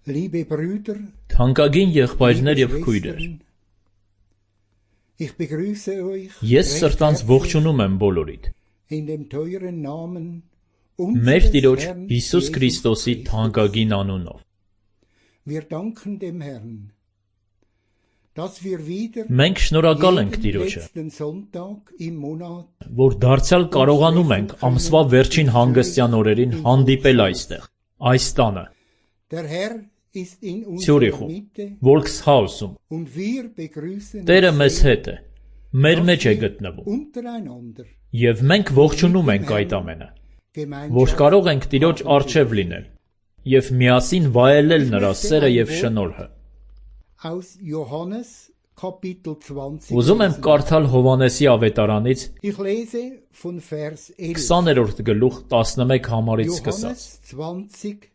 Liebe Brüder, Թանկագին եղբայրներ եւ քույրեր, ich begrüße euch ես սրտանց ողջունում եմ բոլորիդ։ in dem teuren Namen Մեր unseres Տիրոջ Herrn Հիսուս Jesus Քրիստոսի Christus. թանկագին անունով։ Wir danken dem Herrn, dass wir wieder Մենք շնորհակալ ենք jeden Տիրոջը, letzten Sonntag im Monat որ դարձյալ կարողանում ենք ամսվա վերջին հանգստյան օրերին հանդիպել այստեղ, այս տանը, der Herr ist in unserer Ցյուրիխում, Mitte Volks House-ում։ und wir begrüßen Տերը uns մեզ sehr, հետ է, մեր մեջ է dass wir գտնվում, untereinander եւ մենք ողջունում ենք այդ ամենը, որ Gemeinschaft կարող ենք Տիրոջ առջև լինել եւ միասին վայելել նրա սերը եւ շնորհը։ aus Johannes Kapitel 20 Ուզում եմ lesen. կարդալ Հովանեսի ավետարանից Ich lese von Vers 11. 20-րդ գլուխ 11 համարից սկսած։ Johannes 20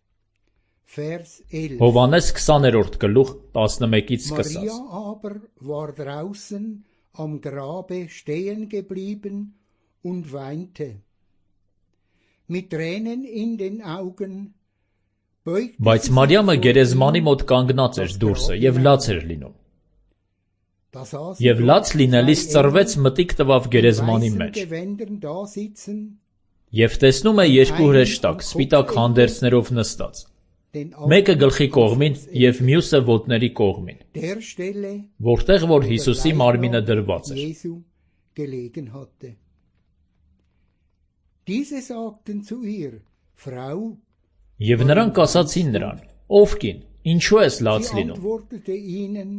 Vers 11. Հովանես 20-րդ գլուխ 11-ից Maria սկսած։ aber war draußen am Grabe stehen geblieben und weinte. Mit Tränen in den Augen beugte Բայց sie Մարիամը sich vor գերեզմանի ihm. մոտ կանգնած էր դուրսը եւ լաց էր լինում։ Da sah sie Եվ dort լաց լինելիս zwei ծռվեց Engel մտիկ տվավ in գերեզմանի weißen մեջ։ Gewändern da sitzen, Եվ տեսնում է երկու հրեշտակ սպիտակ հանդերձներով նստած։ den Մեկը anderen գլխի կողմին Jesus եւ մյուսը ոտների կողմին, der Stelle, որտեղ որ wo der Հիսուսի մարմինը Leichnam դրված էր։ Jesu gelegen hatte. Diese sagten zu ihr, Frau, Եվ նրանք ասացին նրան. Ով կին, ինչու ես լաց sie լինում։ antwortete ihnen,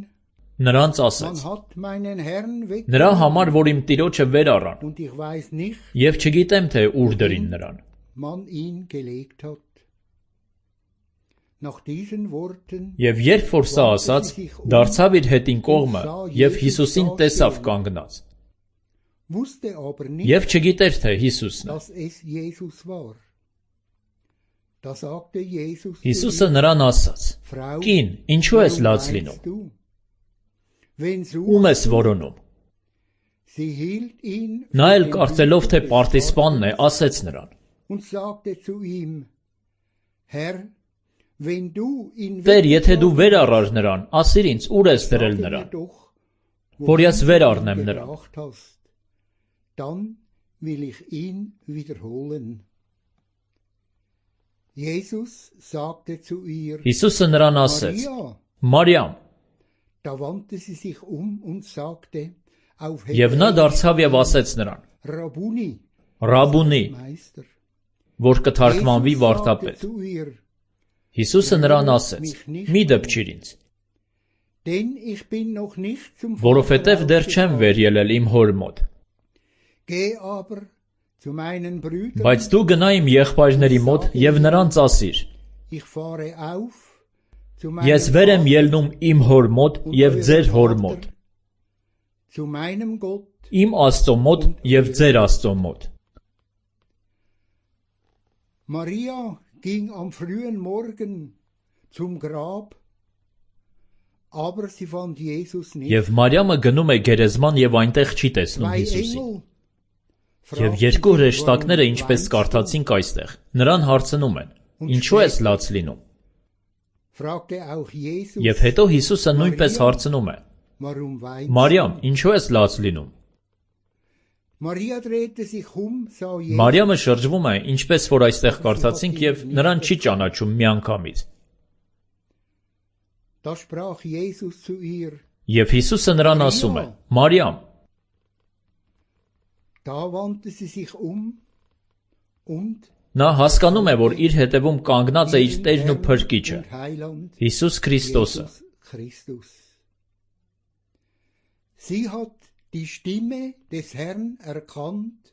Նրանց man ասաց. hat meinen Herrn Նրա weggenommen համար, որ իմ տիրոջը վեր առան, und ich weiß nicht, եւ չգիտեմ թե ուր դրին նրան։ man ihn gelegt hat. Nach diesen Worten Եվ երբ որ սա ասաց, դարձավ իր հետին կողմը եւ Հիսուսին տեսավ կանգնած։ wusste aber nicht, Եվ չգիտեր թե Հիսուսն է։ dass es Jesus war. Da sagte Jesus zu Հիսուսը ihr, նրան ասաց. Frau, Կին, ինչու ես warum լաց weinst լինում։ du? Wen Ում ես suchst du? որոնում։ Sie hielt ihn Նա für էլ den կարծելով թե Hüter des պարտիսպանն է, Gartens ասեց նրան. und sagte zu ihm, Herr, wenn du ihn Տեր, եթե դու վեր weggenommen առար նրան, ասիր ինձ ուր ես hast, դրել sage mir նրան, doch, որ ես wohin վեր du ihn առնեմ նրան։ gebracht hast. Dann will ich ihn wiederholen. Jesus sagte zu ihr, Հիսուսը նրան ասեց. Maria. Մարիամ, Da wandte sie sich und sagte auf եւ նա դարձավ եւ ասեց նրան. Rabuni, Ռաբունի, Meister. որ կթարգմանվի Jesus sagte վարդապետ։ zu ihr, Հիսուսը նրան ասեց. Մի դպչիր ինձ, denn ich bin noch nicht zum որովհետեւ դեռ չեմ aufgefahren. վեր ելել իմ հոր մոտ։ Geh aber zu meinen Brüdern, Բայց դու գնա իմ եղբայրների մոտ եւ նրանց ասիր. ich fahre auf zu Ես meinem վեր եմ Vater ելնում իմ հոր մոտ und եւ eurem ձեր հոր Vater, մոտ, zu meinem Gott. իմ Աստծո մոտ եւ ձեր Աստծո մոտ։ Maria ging am frühen Morgen zum Grab, aber sie fand Jesus nicht. Եվ Մարիամը գնում է գերեզման եւ այնտեղ չի տեսնում Zwei Հիսուսին։ Engel Եվ fragten երկու ihn, հրեշտակները, warum ինչպես weinst du? կարդացինք այստեղ, նրան հարցնում են. Ինչու ես լաց լինում։ Fragte auch Jesus, Եվ հետո Հիսուսը նույնպես հարցնում է. warum weinst Մարիամ, du? ինչու ես լաց լինում։ Maria drehte sich sah Jesus Մարիամը շրջվում է, ինչպես որ այստեղ կարդացինք, եւ նրան չի ճանաչում միանգամից։ Da sprach Jesus zu ihr, Եվ Հիսուսը նրան ասում է. Մարիամ, da wandte sie sich und նա հասկանում է, որ իր հետևում կանգնած է իր ihren Տերն ու Herrn Փրկիչը, und Heiland Հիսուս Քրիստոսը։ Jesus Christus. Sie hat die Stimme des Herrn erkannt,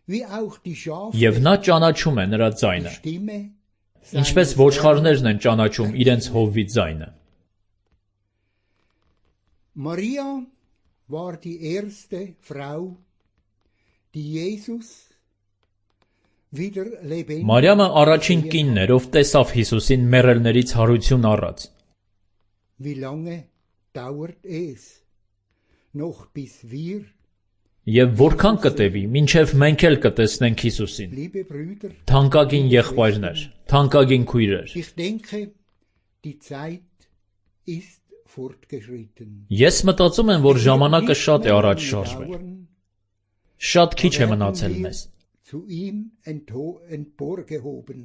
wie auch die Schafe Եվ նա ճանաչում է նրա die ձայնը, Stimme ինչպես seines ոչխարներն են ճանաչում իրենց հովվի ձայնը։ Maria war die erste Frau, die Jesus wieder lebendig Մարիամը առաջին կինն էր, ով տեսավ Հիսուսին մեռելներից հարություն առած։ Wie lange dauert es noch bis wir, Եվ որքան կտևի, մինչև մենք էլ կտեսնենք Հիսուսին։ liebe Brüder, Թանկագին եղբայրներ, թանկագին քույրեր, ich denke, Die Zeit ist fortgeschritten. Ես մտածում եմ, որ ժամանակը շատ է առաջ շարժվել։ Շատ քիչ է մնացել մեզ։ Zu ihm emporgehoben.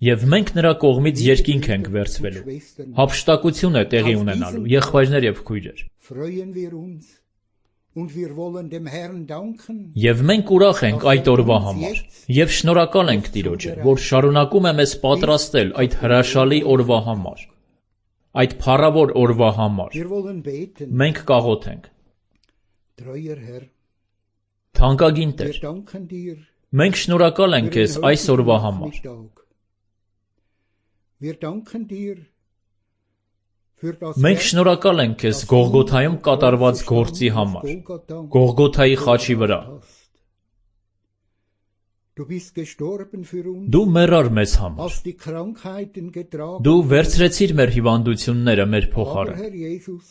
Եվ մենք նրա կողմից երկինք ենք վերցվելու։ Հափշտակություն է տեղի ունենալու, եղբայրներ եւ քույրեր։ Freuen wir uns und wir wollen dem Herrn danken. Եվ մենք ուրախ ենք այդ օրվա համար, եւ շնորհակալ ենք Տիրոջը, որ շարունակում է մեզ պատրաստել այդ հրաշալի օրվա համար, այդ փառավոր օրվա համար։ Wir wollen beten. Մենք կաղոթենք։ Treuer Herr, Թանկագին wir Տեր, danken dir. մենք շնորհակալ ենք քեզ այս օրվա համար։ Wir danken dir für das Մենք շնորհակալ ենք քեզ Գողգոթայում կատարված գործի համար, Գողգոթայի խաչի վրա։ Du bist gestorben für uns. Դու մեռար մեզ համար։ Hast die Krankheiten getragen. Դու վերցրեցիր մեր հիվանդությունները մեր Aber փոխարեն։ Herr Jesus,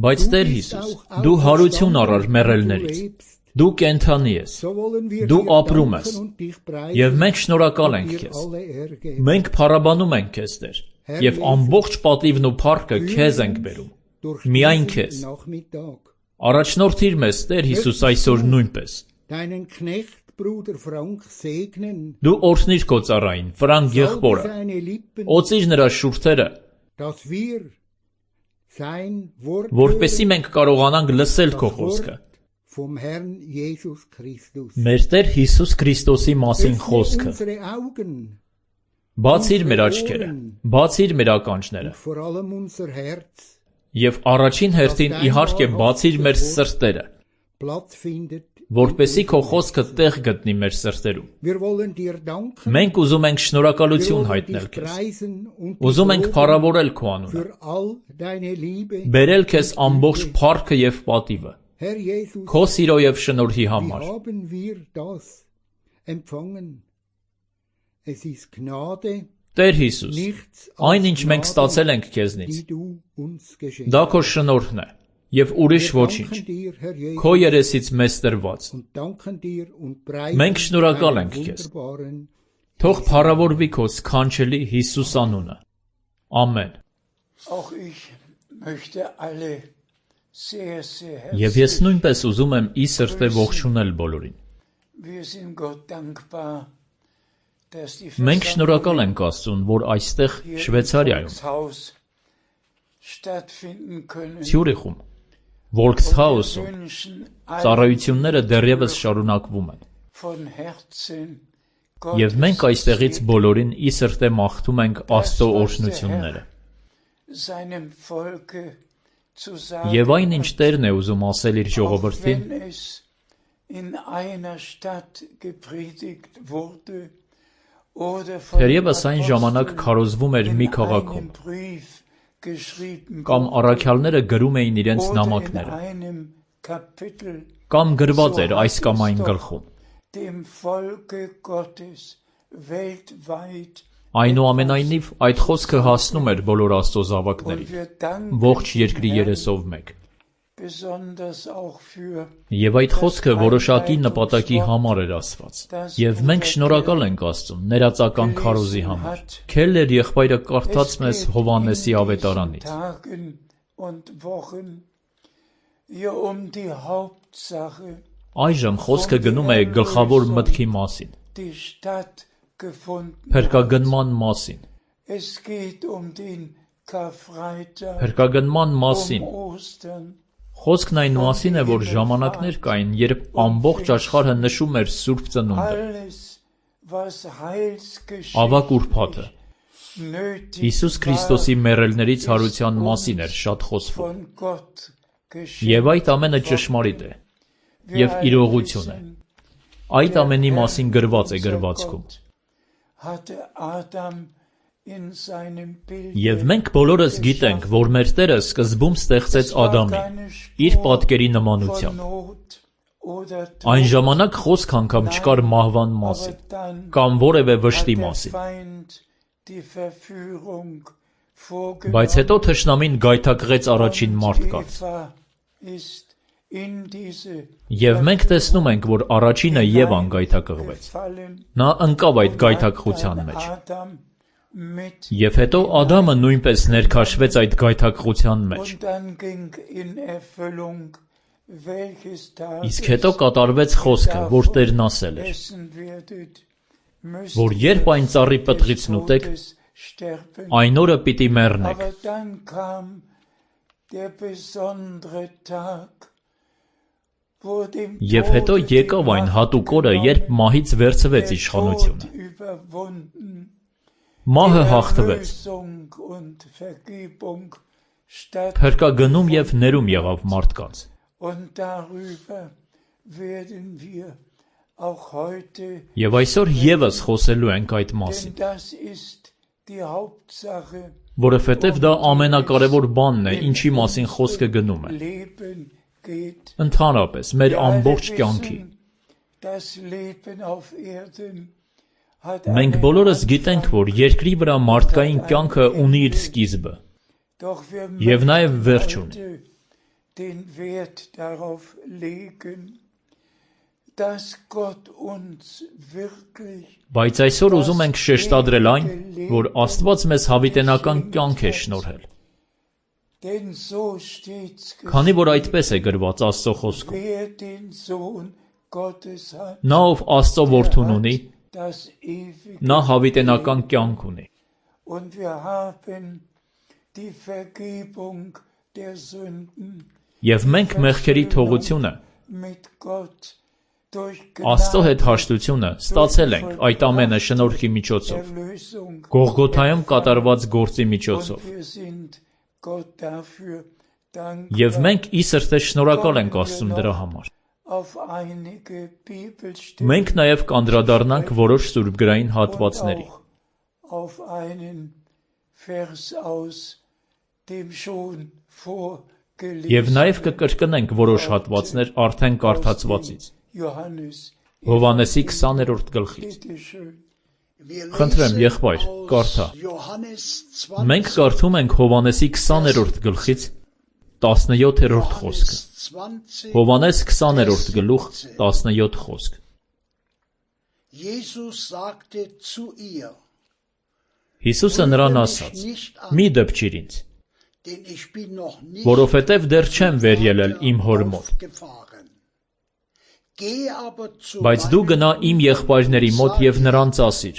Բայց Տեր Հիսուս, դու հարություն առար մեռելներից։ Դու կենթանի ես։ so wollen wir Du dir ապրում ես։ danken und dich preisen. Եվ մենք շնորհակալ ենք dir քեզ։ alle Ehre geben. Մենք փառաբանում ենք քեզ, Տեր, եւ ամբողջ պատիվն ու փառքը քեզ ենք բերում։ Durch Միայն diesen քեզ։ Nachmittag. Առաջնորդիր մեզ, Տեր Հիսուս, այսօր նույնպես։ Deinen Knecht Bruder Frank segnen. Դու օրհնիր քո ծառային, Ֆրանկ Salbe եղբորը։ seine Lippen, Օծիր նրա շուրթերը, dass wir sein Wort որպեսզի hören, մենք կարողանանք լսել քո das խոսքը։ Wort vom Herrn Jesus Christus. Մեր Տեր Հիսուս Քրիստոսի մասին Öffne խոսքը։ unsere Augen, Բացիր մեր աչքերը, բացիր մեր ականջները, vor allem unser Herz, եւ առաջին հերթին իհարկե բացիր մեր սրտերը, Platz findet. որպեսզի քո խոսքը տեղ գտնի մեր սրտերում։ Wir wollen dir danken. Մենք ուզում ենք Wir շնորհակալություն wollen հայտնել dich քեզ։ preisen und dich Ուզում ենք loben փառավորել քո անունը, für all deine Liebe. բերել քեզ ամբողջ փառքը եւ պատիվը, Herr Jesus, քո սիրո եւ շնորհի wie համար։ haben wir das empfangen? Es ist Gnade, Տեր Հիսուս, nichts այն ինչ als մենք ստացել ենք Gnade, քեզնից, die du uns geschenkt դա քո շնորհն է եւ ուրիշ Wir ոչինչ։ danken dir, Herr Jesus, Քո երեսից մեզ տրված։ und danken dir und preisen Մենք շնորհակալ deinen ենք քեզ։ wunderbaren. Թող փառավորվի քո սքանչելի Հիսուս անունը։ Ամեն։ Auch ich möchte alle sehr, sehr Եվ ես herzlich. նույնպես ուզում եմ ի սրտե ողջունել բոլորին։ Wir sind Gott dankbar, dass die Մենք շնորհակալ Versammlungen ենք Աստծուն, որ այստեղ hier im Շվեյցարիայում, Volkshaus stattfinden können. Ցյուրիխում, Und Volkshaus-ում wir wünschen allen ծառայությունները դեռևս շարունակվում են։ von Herzen Եվ մենք Gottes այստեղից Segen բոլորին ի սրտե մաղթում ենք Աստծո օրհնությունները։ seinem Volke zu sagen. Եվ այն ինչ Տերն է ուզում ասել իր Auch ժողովրդին, wenn es in einer Stadt gepredigt wurde oder von Թերևս այն ժամանակ Aposteln քարոզվում էր մի in քաղաքում, einem Brief geschrieben կամ wurde առաքյալները գրում էին իրենց oder in նամակները, einem Kapitel կամ գրված so էր այս hat կամ es այն doch գլխում։ dem Volke Gottes weltweit Այնուամենայնիվ այդ խոսքը հասնում էր բոլոր Աստծո und զավակներին, wir danken ողջ dem երկրի Herrn երեսով մեկ։ besonders auch für Եվ այդ խոսքը որոշակի նպատակի համար էր ասված։ Եւ մենք շնորհակալ ենք Աստծուն ներածական քարոզի համար։ Քելլեր եղբայրը կարդաց մեզ Հովհաննեսի ավետարանից։ Tagen und Wochen hier die Hauptsache, Այժմ խոսքը գնում է գլխավոր մտքի մասին, die stattgefunden hat. փրկագնման մասին, Es geht den Karfreitag, փրկագնման մասին։ Ostern, Խոսքն այն մասին է, որ ժամանակներ կային, երբ ամբողջ աշխարհը նշում էր Սուրբ Ծնունդը, alles, was ավակ ուրբաթը։ nötig Հիսուս Քրիստոսի մեռելներից հարության մասին էր շատ խոսվում։ von Gott Եվ այդ ամենը ճշմարիտ է եւ իրողություն է։ Այդ ամենի մասին գրված է գրվածքում։ hatte Adam in seinem Bild Եվ մենք բոլորս գիտենք, որ մեր Տերը սկզբում ստեղծեց Ադամին իր պատկերի նմանությամբ։ Այն ժամանակ խոսք անգամ չկար մահվան մասին կամ որևէ վշտի մասին։ Բայց հետո թշնամին գայթակղեց առաջին մարդկանց։ Եվ մենք տեսնում ենք, որ առաջինը Եվան գայթակղվեց։ Նա ընկավ այդ գայթակղության մեջ։ mit Եվ հետո Ադամը նույնպես ներքաշվեց այդ գայթակղության մեջ։ und dann ging in Erfüllung, welches Tag Իսկ հետո կատարվեց խոսքը, որ Տերն ասել էր, essen werdet, müsst որ երբ այն ծառի պտղիցն ուտեք, Todes sterben. այն օրը պիտի մեռնեք։ Aber dann kam der besondere Tag, wo dem Եվ հետո Tode եկավ այն հատուկ օրը, երբ մահից վերցվեց der իշխանությունը։ Tod überwunden, Մահը die հաղթվեց։ Erlösung und Vergebung statt. Փրկագնում եւ ներում եղավ մարդկանց։ Und darüber werden wir auch heute, Եվ այսօր եւս խոսելու ենք այդ մասին, denn das ist die Hauptsache որովհետեւ դա ամենակարևոր բանն է, ինչի մասին խոսքը գնում է։ Leben geht. Ընդհանրապես մեր Wir alle ամբողջ կյանքի։ wissen, das Leben auf Erden hat Մենք einen բոլորս Anfang, գիտենք, որ երկրի վրա մարդկային կյանքը ունի իր սկիզբը doch wir եւ նաեւ möchten վերջ ունի։ heute den Wert darauf legen, dass Gott uns wirklich Բայց այսօր ուզում ենք շեշտադրել այն, որ Աստված մեզ հավիտենական կյանք է շնորհել, denn so steht's քանի որ այդպես է գրված Աստծո խոսքում։ wer den Sohn Gottes hat, Նա ով Աստծո որդուն ունի, das ewige. նա հավիտենական կյանք ունի։ Und wir haben die Vergebung der Sünden Եվ մենք մեղքերի թողությունը, mit Gott durch Աստծո հետ Gnade, հաշտությունը ստացել ենք այդ ամենը շնորհքի միջոցով, Erlösung. Գողգոթայում կատարված գործի միջոցով։ Und wir sind Gott dafür Եվ dankbar. մենք ի սրտե շնորհակալ ենք Աստծուն դրա համար։ Auf einige Bibelstellen Մենք նաև կանդրադառնանք որոշ սուրբգրային und հատվածների։ auch auf einen Vers aus dem schon Եվ նաև vorgelesenen կկրկնենք որոշ հատվածներ արդեն կարդացվածից։ Johannes. Հովհաննեսի 20-րդ գլխից։ Bitte schön. Խնդրեմ, եղբայր, կարդա։ Մենք կարդում ենք Հովհաննեսի 20-րդ գլխից 17-րդ խոսքը։ Հովհաննես 20-րդ գլուխ 17 խոսք։ Հիսուսը նրան ասաց. «Մի դպչիր ինձ, որովհետև դեռ չեմ վեր ելել իմ հոր մոտ։ Բայց դու գնա իմ եղբայրների մոտ եւ նրանց ասիր.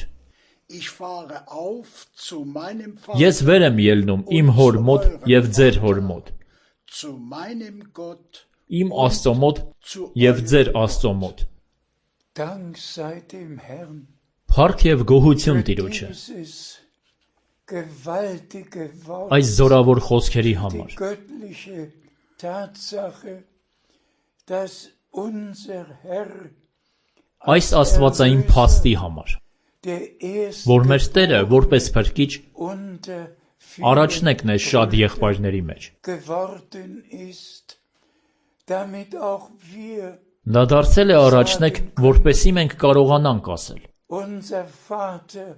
Ես վեր եմ ելնում իմ հոր մոտ եւ ձեր հոր մոտ, իմ Աստծո մոտ եւ ձեր Աստծո մոտ։ Dank sei dem Herrn. Փառք եւ գոհություն Տիրոջը Dieses gewaltige Wort, այս զորավոր խոսքերի die համար։ göttliche Tatsache, dass unser Herr Այս աստվածային փաստի համար, der erste որ մեր Տերը որպես փրկիչ unter առաջնեկն է շատ եղբայրների մեջ։ geworden ist, damit auch wir Նա դարձել է առաջնեկ, որպեսզի մենք կարողանանք ասել. unser Vater,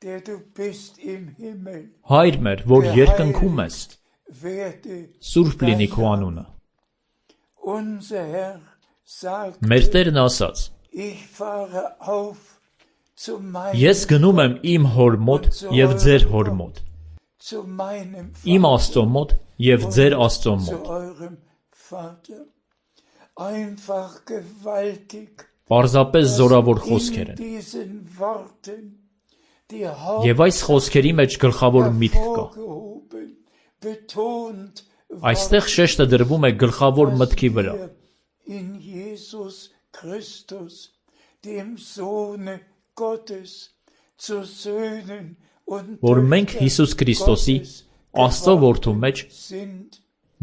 der du bist im Himmel, Հայր մեր, որ երկնքում ես, werde սուրբ լինի քո անունը։ unser Herr sagt, Մեր Տերն ասաց. ich fahre auf zu Ես գնում եմ իմ հոր մոտ եւ ձեր հոր մոտ, zu meinem իմ Աստծո մոտ եւ ձեր Աստծո zu մոտ։ eurem Vater. Einfach gewaltig. Պարզապես զորավոր խոսքեր In են։ diesen Worten die Եվ այս խոսքերի մեջ գլխավոր միտք կա։ hervorgehoben, betont, Այստեղ շեշտը դրվում է գլխավոր մտքի վրա, wir in Jesus Christus, dem Sohne Gottes, zu Söhnen und որ մենք Töchtern Հիսուս Քրիստոսի Gottes Աստծո որդու մեջ sind.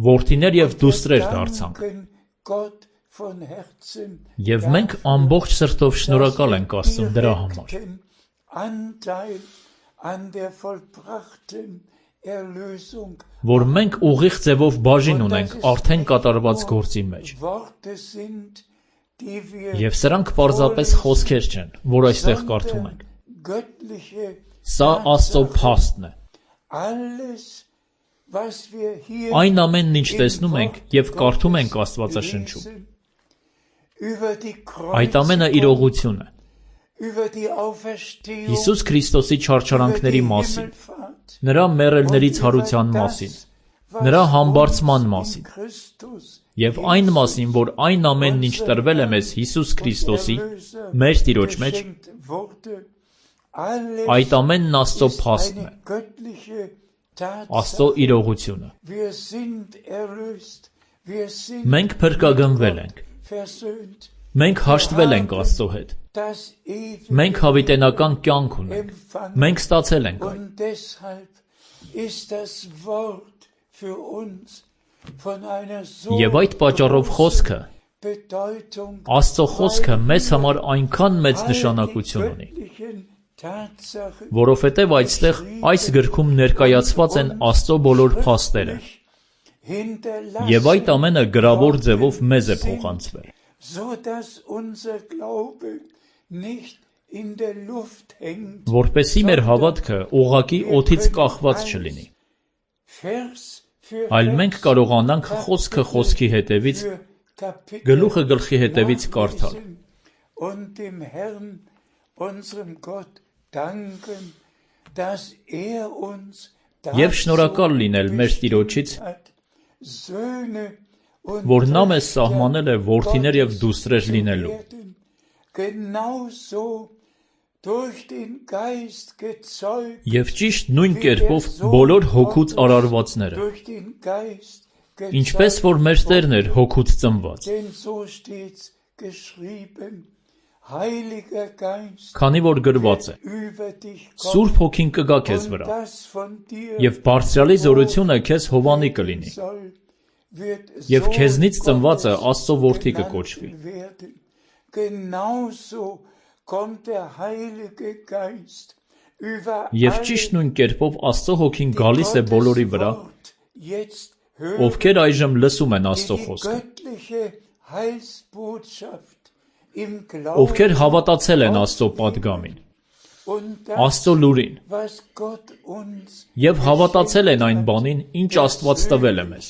որդիներ եւ Wir դուստրեր դարձանք։ danken Gott von Herzen Եվ մենք ամբողջ սրտով շնորհակալ ենք Աստծուն դրա համար, direkten Anteil an der vollbrachten Erlösung. որ մենք ուղիղ ձևով բաժին ունենք արդեն կատարված գործի մեջ։ Worte sind, die wir Եվ սրանք պարզապես խոսքեր չեն, որ այստեղ կարդում ենք։ göttliche Սա Աստծո փաստն է։ alles, was wir hier Այն ամենն ինչ տեսնում ենք եւ կարդում ենք Աստվածաշնչում, lesen, über die այդ ամենը Kreuzigung, իրողություն է, Հիսուս Քրիստոսի չարչարանքների մասին, նրա մեռելներից հարության մասին, նրա համբարձման մասին և այն մասին, որ այն ամենն ինչ տրվել է մեզ Հիսուս Քրիստոսի, մեր Տիրոջ մեջ, այդ ամենն Աստծո փաստն է, Աստծո իրողությունը։ Մենք փրկագնվել ենք, մենք հաշտվել ենք Աստծո հետ, մենք հավիտենական կյանք ունենք, մենք ստացել ենք այն։ Եվ այդ պատճառով խոսքը, Աստծո խոսքը մեզ համար այնքան մեծ նշանակություն ունի, որովհետև այստեղ այս գրքում ներկայացված են Աստծո բոլոր փաստերը, և այդ ամենը գրավոր ձևով մեզ է փոխանցվել, որպեսզի մեր հավատքը ուղղակի օդից կախված չլինի, այլ մենք կարողանանք խոսքը խոսքի հետևից, գլուխը գլխի հետևից կարդալ և շնորհակալ լինել մեր Տիրոջից, որ նա մեզ սահմանել է որդիներ և դուստրեր լինելու, և ճիշտ նույն կերպով բոլոր հոգուց արարվածները, ինչպես որ մեր Տերն էր հոգուց ծնված, քանի որ գրված է. Սուրբ Հոգին կգա քեզ վրա, և բարձրյալի զորությունը քեզ հովանի կլինի, և քեզնից ծնվածը Աստծո որդի կկոչվի։ Եվ ճիշտ նույն կերպով Աստծո Հոգին գալիս է բոլորի վրա, ովքեր այժմ լսում են Աստծո խոսքը, ովքեր հավատացել են Աստծո պատգամին, Աստծո լուրին, և հավատացել են այն բանին, ինչ Աստված տվել է մեզ,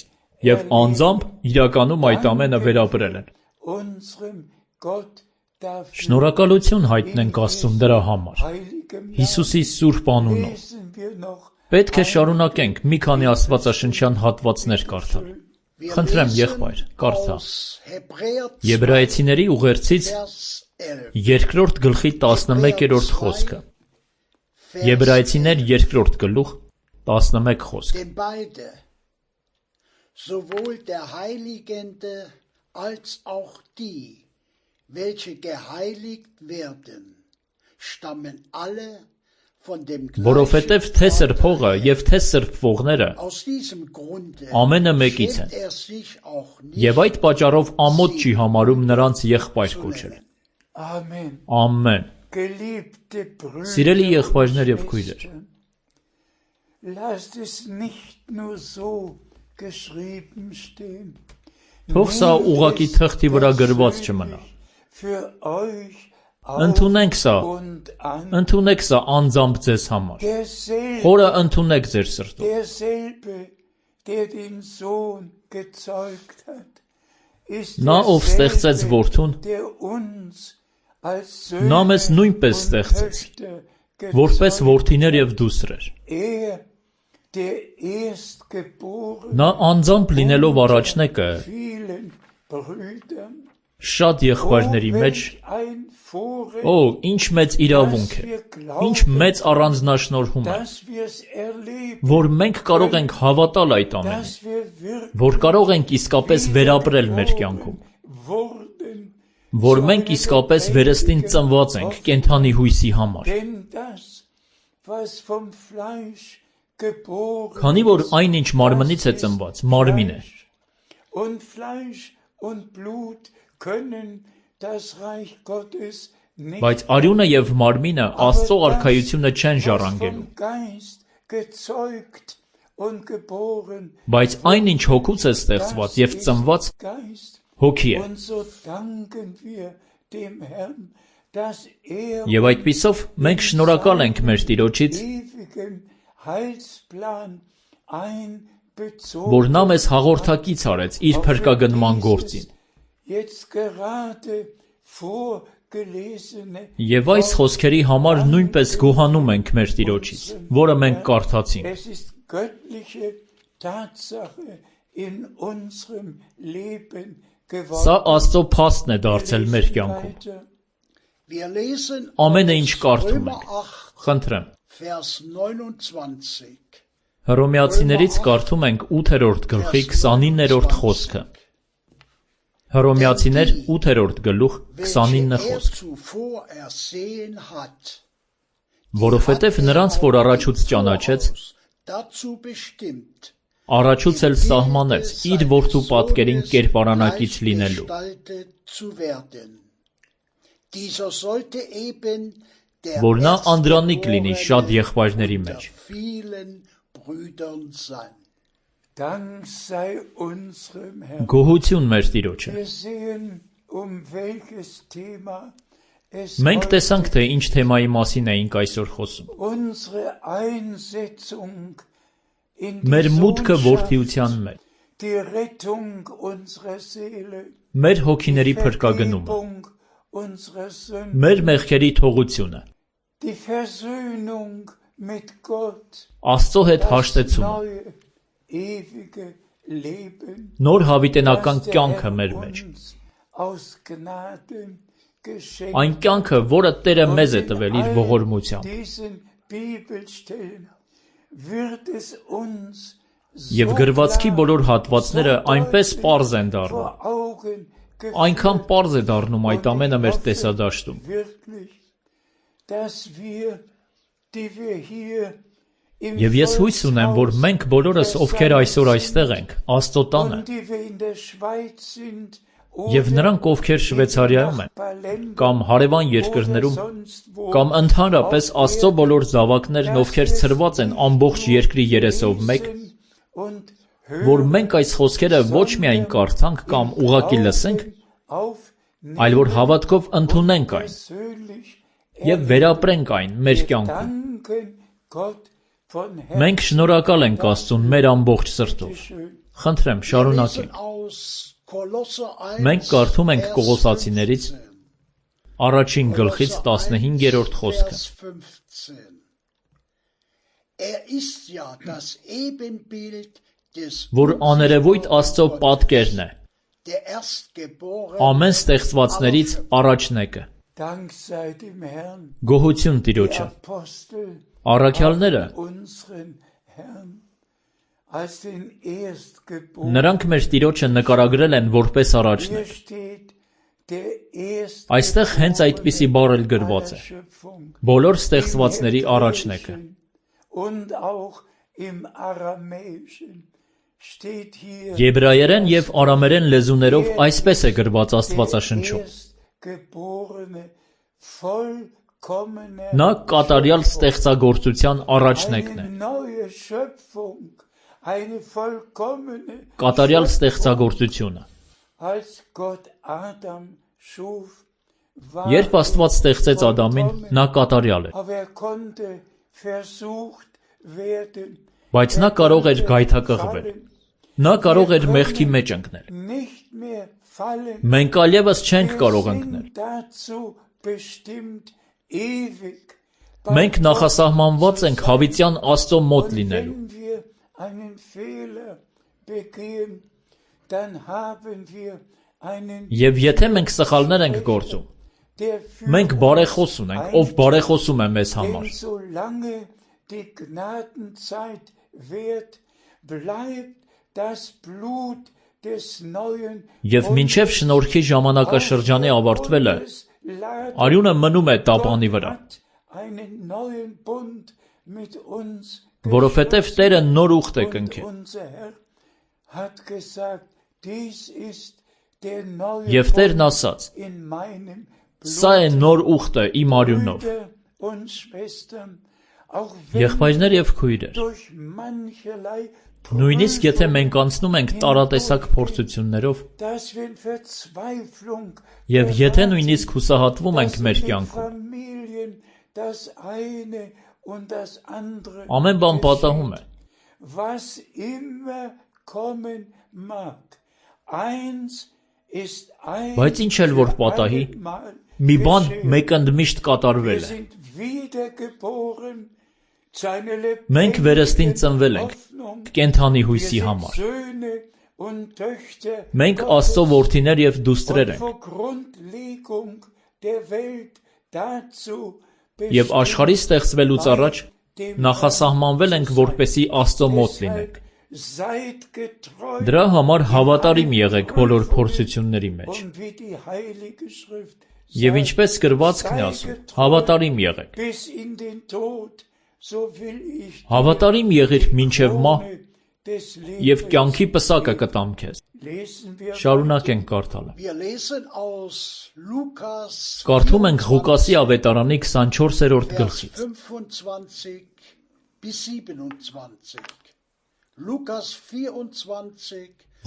և անձամբ իրականում այդ ամենը վերապրել են։ Շնորհակալություն հայտնենք Աստծուն դրա համար, Հիսուսի սուրբ անունով։ Պետք է շարունակենք մի քանի աստվածաշնչյան հատվածներ կարդալ։ Խնդրեմ, եղբայր, կարդա։ Եբրայեցիների ուղերձից 2-րդ գլխի 11-րդ խոսքը։ Եբրայեցիներ 2-րդ գլուխ 11 խոսք։ Sowohl der Heiligende als auch die, welche geheiligt werden, stammen alle von dem Որովհետև թե սրբողը և թե սրբվողները ամենը մեկից են, և այդ պատճառով ամոթ չի համարում նրանց եղբայր կոչել։ Ամեն։ Սիրելի եղբայրներ և քույրեր, թող սա ուղղակի թղթի վրա գրված չմնա։ Ընդունեք սա անձամբ ձեզ համար։ Խորը ընդունեք ձեր սրտով։ Նա, ով ստեղծեց որդուն, նա մեզ նույնպես ստեղծեց, որպես որդիներ և դուստրեր։ Նա անձամբ լինելով առաջնեկը շատ եղբայրների մեջ, ինչ մեծ իրավունք է, ինչ մեծ առանձնաշնորհում է, որ մենք կարող ենք հավատալ այդ ամենին, որ կարող ենք իսկապես վերապրել մեր կյանքում, որ մենք իսկապես վերստին ծնված ենք կենդանի հույսի համար, քանի որ այն, ինչ մարմնից է ծնված, մարմին է, բայց արյունը և մարմինը Աստծո արքայությունը չեն ժառանգելու, բայց այն, ինչ հոգուց է ստեղծված և ծնված, հոգի է։ Եվ այդպիսով մենք շնորհակալ ենք մեր Տիրոջից, որ նա մեզ հաղորդակից արեց իր փրկագնման գործին։ Եվ այս խոսքերի համար նույնպես գոհանում ենք մեր Տիրոջից, որը մենք կարդացինք։ Սա Աստծո փաստն է դարձել մեր կյանքում։ Ամենը ինչ կարդում ենք, խնդրեմ։ Հռոմեացիներից կարդում ենք 8-րդ գլխի 29-րդ խոսքը։ Հռոմեացիներ 8-րդ գլուխ 29 խոսք։ Որովհետև նրանց, որ առաջուց ճանաչեց, առաջուց էլ սահմանեց իր որդու պատկերին կերպարանակից լինելու, որ նա անդրանիկ լինի շատ եղբայրների մեջ։ Գոհություն մեր Տիրոջը։ Մենք տեսանք, թե ինչ թեմայի մասին էինք այսօր խոսում։ Մեր մուտքը որդիության մեջ, մեր հոգիների փրկագնումը, մեր մեղքերի թողությունը, Աստծո հետ հաշտեցումը, նոր հավիտենական կյանքը մեր մեջ, այն կյանքը, որը Տերը մեզ է տվել իր ողորմությամբ։ Եվ գրվածքի բոլոր հատվածները այնպես պարզ են դառնում, այնքան պարզ է դառնում այդ ամենը մեր տեսադաշտում, Եվ ես հույս ունեմ, որ մենք բոլորս, ովքեր այսօր այստեղ ենք, Աստծո տանը, եւ նրանք, ովքեր Շվեյցարիայում են, կամ հարևան երկրներում, կամ ընդհանրապես Աստծո բոլոր զավակներն, ովքեր ցրված են ամբողջ երկրի երեսով մեկ, որ մենք այս խոսքերը ոչ միայն կարդանք կամ ուղղակի լսենք, այլ որ հավատքով ընդունենք այն եւ վերապրենք այն մեր կյանքում։ Մենք շնորհակալ ենք Աստծուն մեր ամբողջ սրտով։ Խնդրեմ, շարունակենք։ Մենք կարդում ենք Կողոսացիներից առաջին գլխից 15-րդ խոսքը։ Որ աներևույթ Աստծո պատկերն է, ամեն ստեղծվածներից առաջնեկը։ Գոհություն Տիրոջը։ Առաքյալները, նրանք մեր Տիրոջը նկարագրել են որպես առաջնեկ։ Այստեղ հենց այդպիսի բառ էլ գրված է։ Բոլոր ստեղծվածների առաջնեկը։ Եբրայերեն և արամերեն լեզուներով այսպես է գրված Աստվածաշնչում. Նա կատարյալ ստեղծագործության առաջնեկն է։ Կատարյալ ստեղծագործությունը։ Երբ Աստված ստեղծեց Ադամին, նա կատարյալ էր։ Բայց նա կարող էր գայթակղվել։ Նա կարող էր մեղքի մեջ ընկնել։ Մենք այլևս չենք կարող ընկնել։ Մենք նախասահմանված ենք հավիտյան Աստծո մոտ լինելու։ Եվ եթե մենք սխալներ ենք գործում, մենք բարեխոս ունենք, ով բարեխոսում է մեզ համար։ Եվ մինչև շնորհքի ժամանակաշրջանի ավարտվելը, արյունը մնում է տապանի վրա, որովհետև Տերը նոր ուխտ է կնքել։ Եվ Տերն ասաց. «Սա է նոր ուխտը իմ արյունով»։ Եղբայրներ և քույրեր, նույնիսկ եթե մենք անցնում ենք տարատեսակ փորձություններով, և եթե նույնիսկ հուսահատվում ենք մեր կյանքում, ամեն բան պատահում է։ Բայց ինչ էլ որ պատահի, մի բան մեկընդմիշտ կատարվել է։ Մենք վերստին ծնվել ենք կենդանի հույսի համար։ Մենք Աստծո որդիներ և դուստրեր ենք։ Եվ աշխարհի ստեղծվելուց առաջ նախասահմանվել ենք, որպեսզի Աստծո մոտ լինենք։ Դրա համար հավատարիմ եղեք բոլոր փորձությունների մեջ։ Եվ ինչպես գրվածքն է ասում, հավատարիմ եղեք։ Հավատարիմ եղիր մինչև մահ, և կյանքի պսակը կտամ քեզ։ Շարունակենք կարդալը։ Կարդում ենք Ղուկասի ավետարանի 24-րդ գլխից։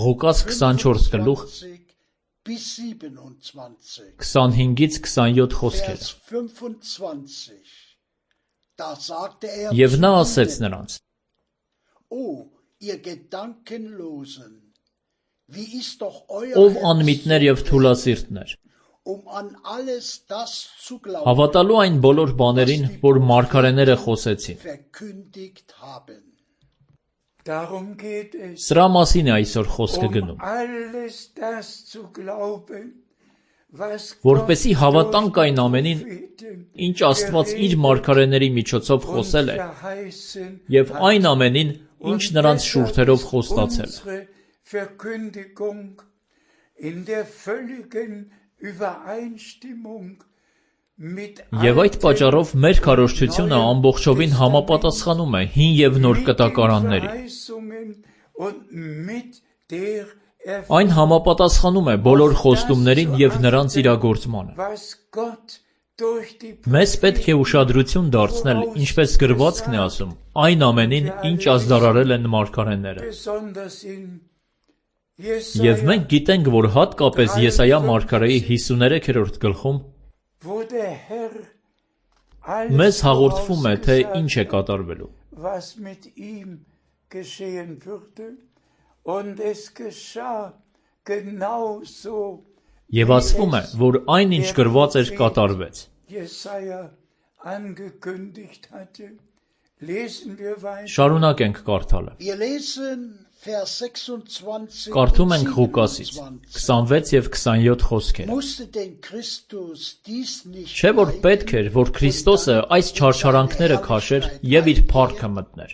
Ղուկաս 24 գլուխ 25-ից 27 խոսքերը։ Եվ նա ասեց նրանց. Ով անմիտներ և թուլասիրտներ, հավատալու այն բոլոր բաներին, որ մարգարեները խոսեցին։ Սրա մասին է այսօր խոսքը գնում։ Որպեսզի հավատանք այն ամենին, ինչ Աստված իր մարգարեների միջոցով խոսել է, և այն ամենին, ինչ նրանց շուրթերով խոստացել է։ Եվ այդ պատճառով մեր քարոզչությունը ամբողջովին համապատասխանում է հին և նոր կտակարաններին։ Այն համապատասխանում է բոլոր խոստումներին և նրանց իրագործմանը։ Մեզ պետք է ուշադրություն դարձնել, ինչպես գրվածքն է ասում, այն ամենին, ինչ ազդարարել են մարգարեները։ Եվ մենք գիտենք, որ հատկապես Եսայիա մարգարեի 53-րդ գլխում մեզ հաղորդվում է, թե ինչ է կատարվելու։ Եվ ասվում է, որ այն, ինչ գրված էր, կատարվեց։ Շարունակենք կարդալը։ Կարդում ենք Ղուկասից 26 և 27 խոսքերը։ Չէ՞ որ պետք էր, որ Քրիստոսը այս չարչարանքները քաշեր և իր փառքը մտներ։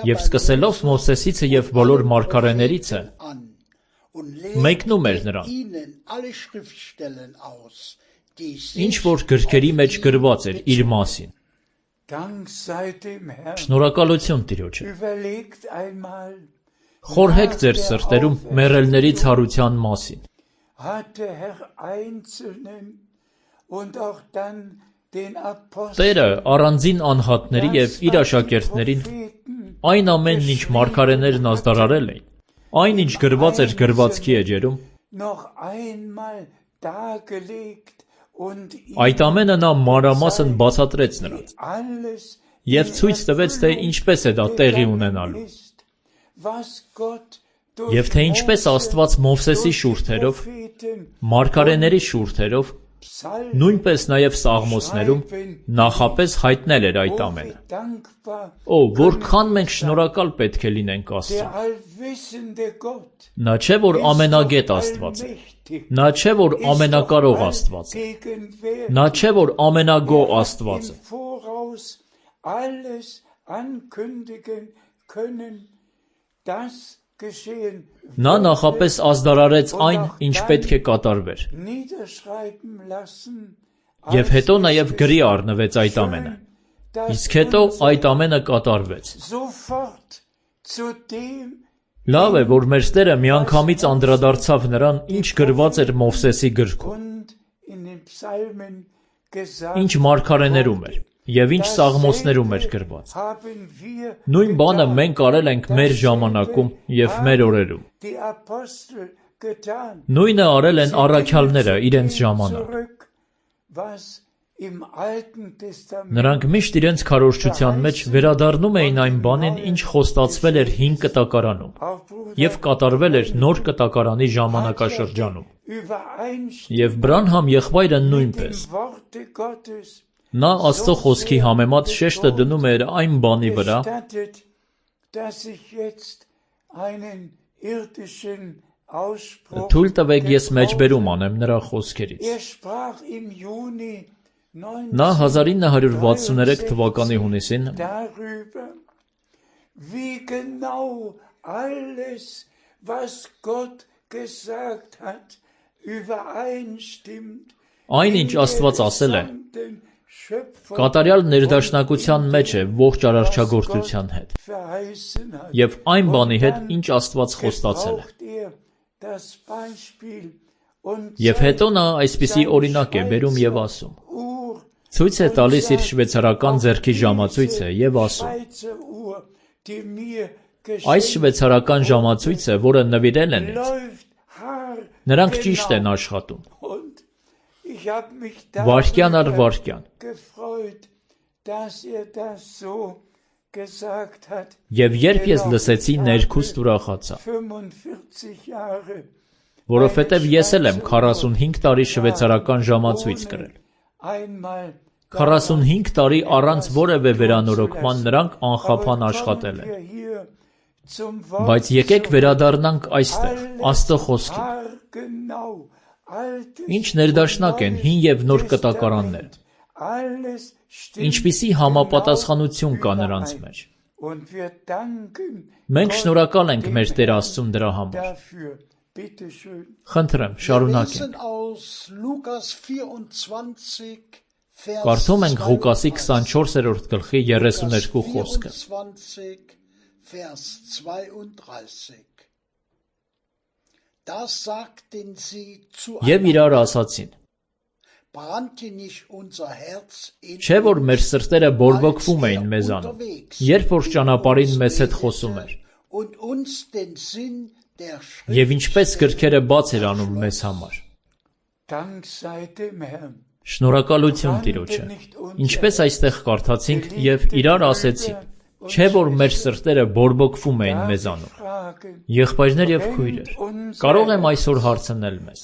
Եվ սկսելով Մովսեսիցը և բոլոր մարգարեներիցը, մեկնում էր նրան, ինչ որ գրքերի մեջ գրված էր իր մասին։ Շնորհակալություն Տիրոջը։ Խորհեք ձեր սրտերում մեռելների ցարության մասին։ Տերը առանձին անհատների և իր աշակերտներին այն ամենն, ինչ մարգարեներն ազդարարել էին, այն, ինչ գրված էր գրվածքի էջերում, այդ ամենը նա մանրամասն բացատրեց նրանց և ցույց տվեց, թե ինչպես է դա տեղի ունենալու, և թե ինչպես Աստված Մովսեսի շուրթերով, մարգարեների շուրթերով, նույնպես նաև Սաղմոսներում նախապես հայտնել էր այդ ամենը։ Որքան մենք շնորհակալ պետք է լինենք Աստծուն։ Նա չէ, որ ամենագետ Աստված է։ Նա չէ, որ ամենակարող Աստված է։ Նա չէ, որ ամենագոհ Աստված է։ Նա նախապես ազդարարեց այն, ինչ պետք է կատարվեր։ Եվ հետո նաև գրի առնվեց այդ ամենը։ Իսկ հետո այդ ամենը կատարվեց։ Լավ է, որ մեր Տերը միանգամից անդրադարձավ նրան, ինչ գրված էր Մովսեսի գրքում, ինչ մարգարեներում էր, և ինչ Սաղմոսներում էր գրված։ Նույն բանը մենք արել ենք մեր ժամանակում և մեր օրերում։ Նույնը արել են առաքյալները իրենց ժամանակ։ Նրանք միշտ իրենց քարոզչության մեջ վերադառնում էին այն բանին, ինչ խոստացվել էր հին կտակարանում։ և կատարվել էր նոր կտակարանի ժամանակաշրջանում։ Եվ Բրանհամ եղբայրը նույնպես։ Նա Աստծո խոսքի համեմատ շեշտը դնում էր այն բանի վրա, թույլ տվեք ես մեջբերում անեմ նրա խոսքերից։ Նա 1963 թվականի հունիսին այն, ինչ Աստված ասել է, կատարյալ ներդաշնակության մեջ է ողջ արարչագործության հետ և այն բանի հետ, ինչ Աստված խոստացել է։ Եվ հետո նա այսպիսի օրինակ է բերում և ասում. ցույց է տալիս իր շվեյցարական ձեռքի ժամացույցը և ասում. այս շվեյցարական ժամացույցը, որը նվիրել են ինձ, նրանք ճիշտ են աշխատում, վայրկյան առ վայրկյան։ Եվ երբ ես լսեցի, ներքուստ ուրախացա, որովհետև ես էլ եմ 45 տարի շվեյցարական ժամացույց կրել։ 45 տարի առանց որևէ վերանորոգման նրանք անխափան աշխատել են։ Բայց եկեք վերադառնանք այստեղ, Աստծո խոսքին։ Ինչ ներդաշնակ են հին և նոր կտակարանները։ Ինչպիսի համապատասխանություն կա նրանց մեջ։ Մենք շնորհակալ ենք մեր Տեր Աստծուն դրա համար։ Խնդրեմ, շարունակենք։ Կարդում ենք Ղուկասի 24-րդ գլխի 32 խոսքը։ Եվ իրար ասացին. չէ՞ որ մեր սրտերը բորբոքվում էին մեզանում, երբ որ ճանապարհին մեզ հետ խոսում էր, և ինչպես գրքերը բաց էր անում մեզ համար։ Շնորհակալություն Տիրոջը։ Ինչպես այստեղ կարդացինք և իրար ասեցին, չէ՞ որ մեր սրտերը բորբոքվում էին մեզանում։ Եղբայրներ և քույրեր, կարող եմ այսօր հարցնել մեզ.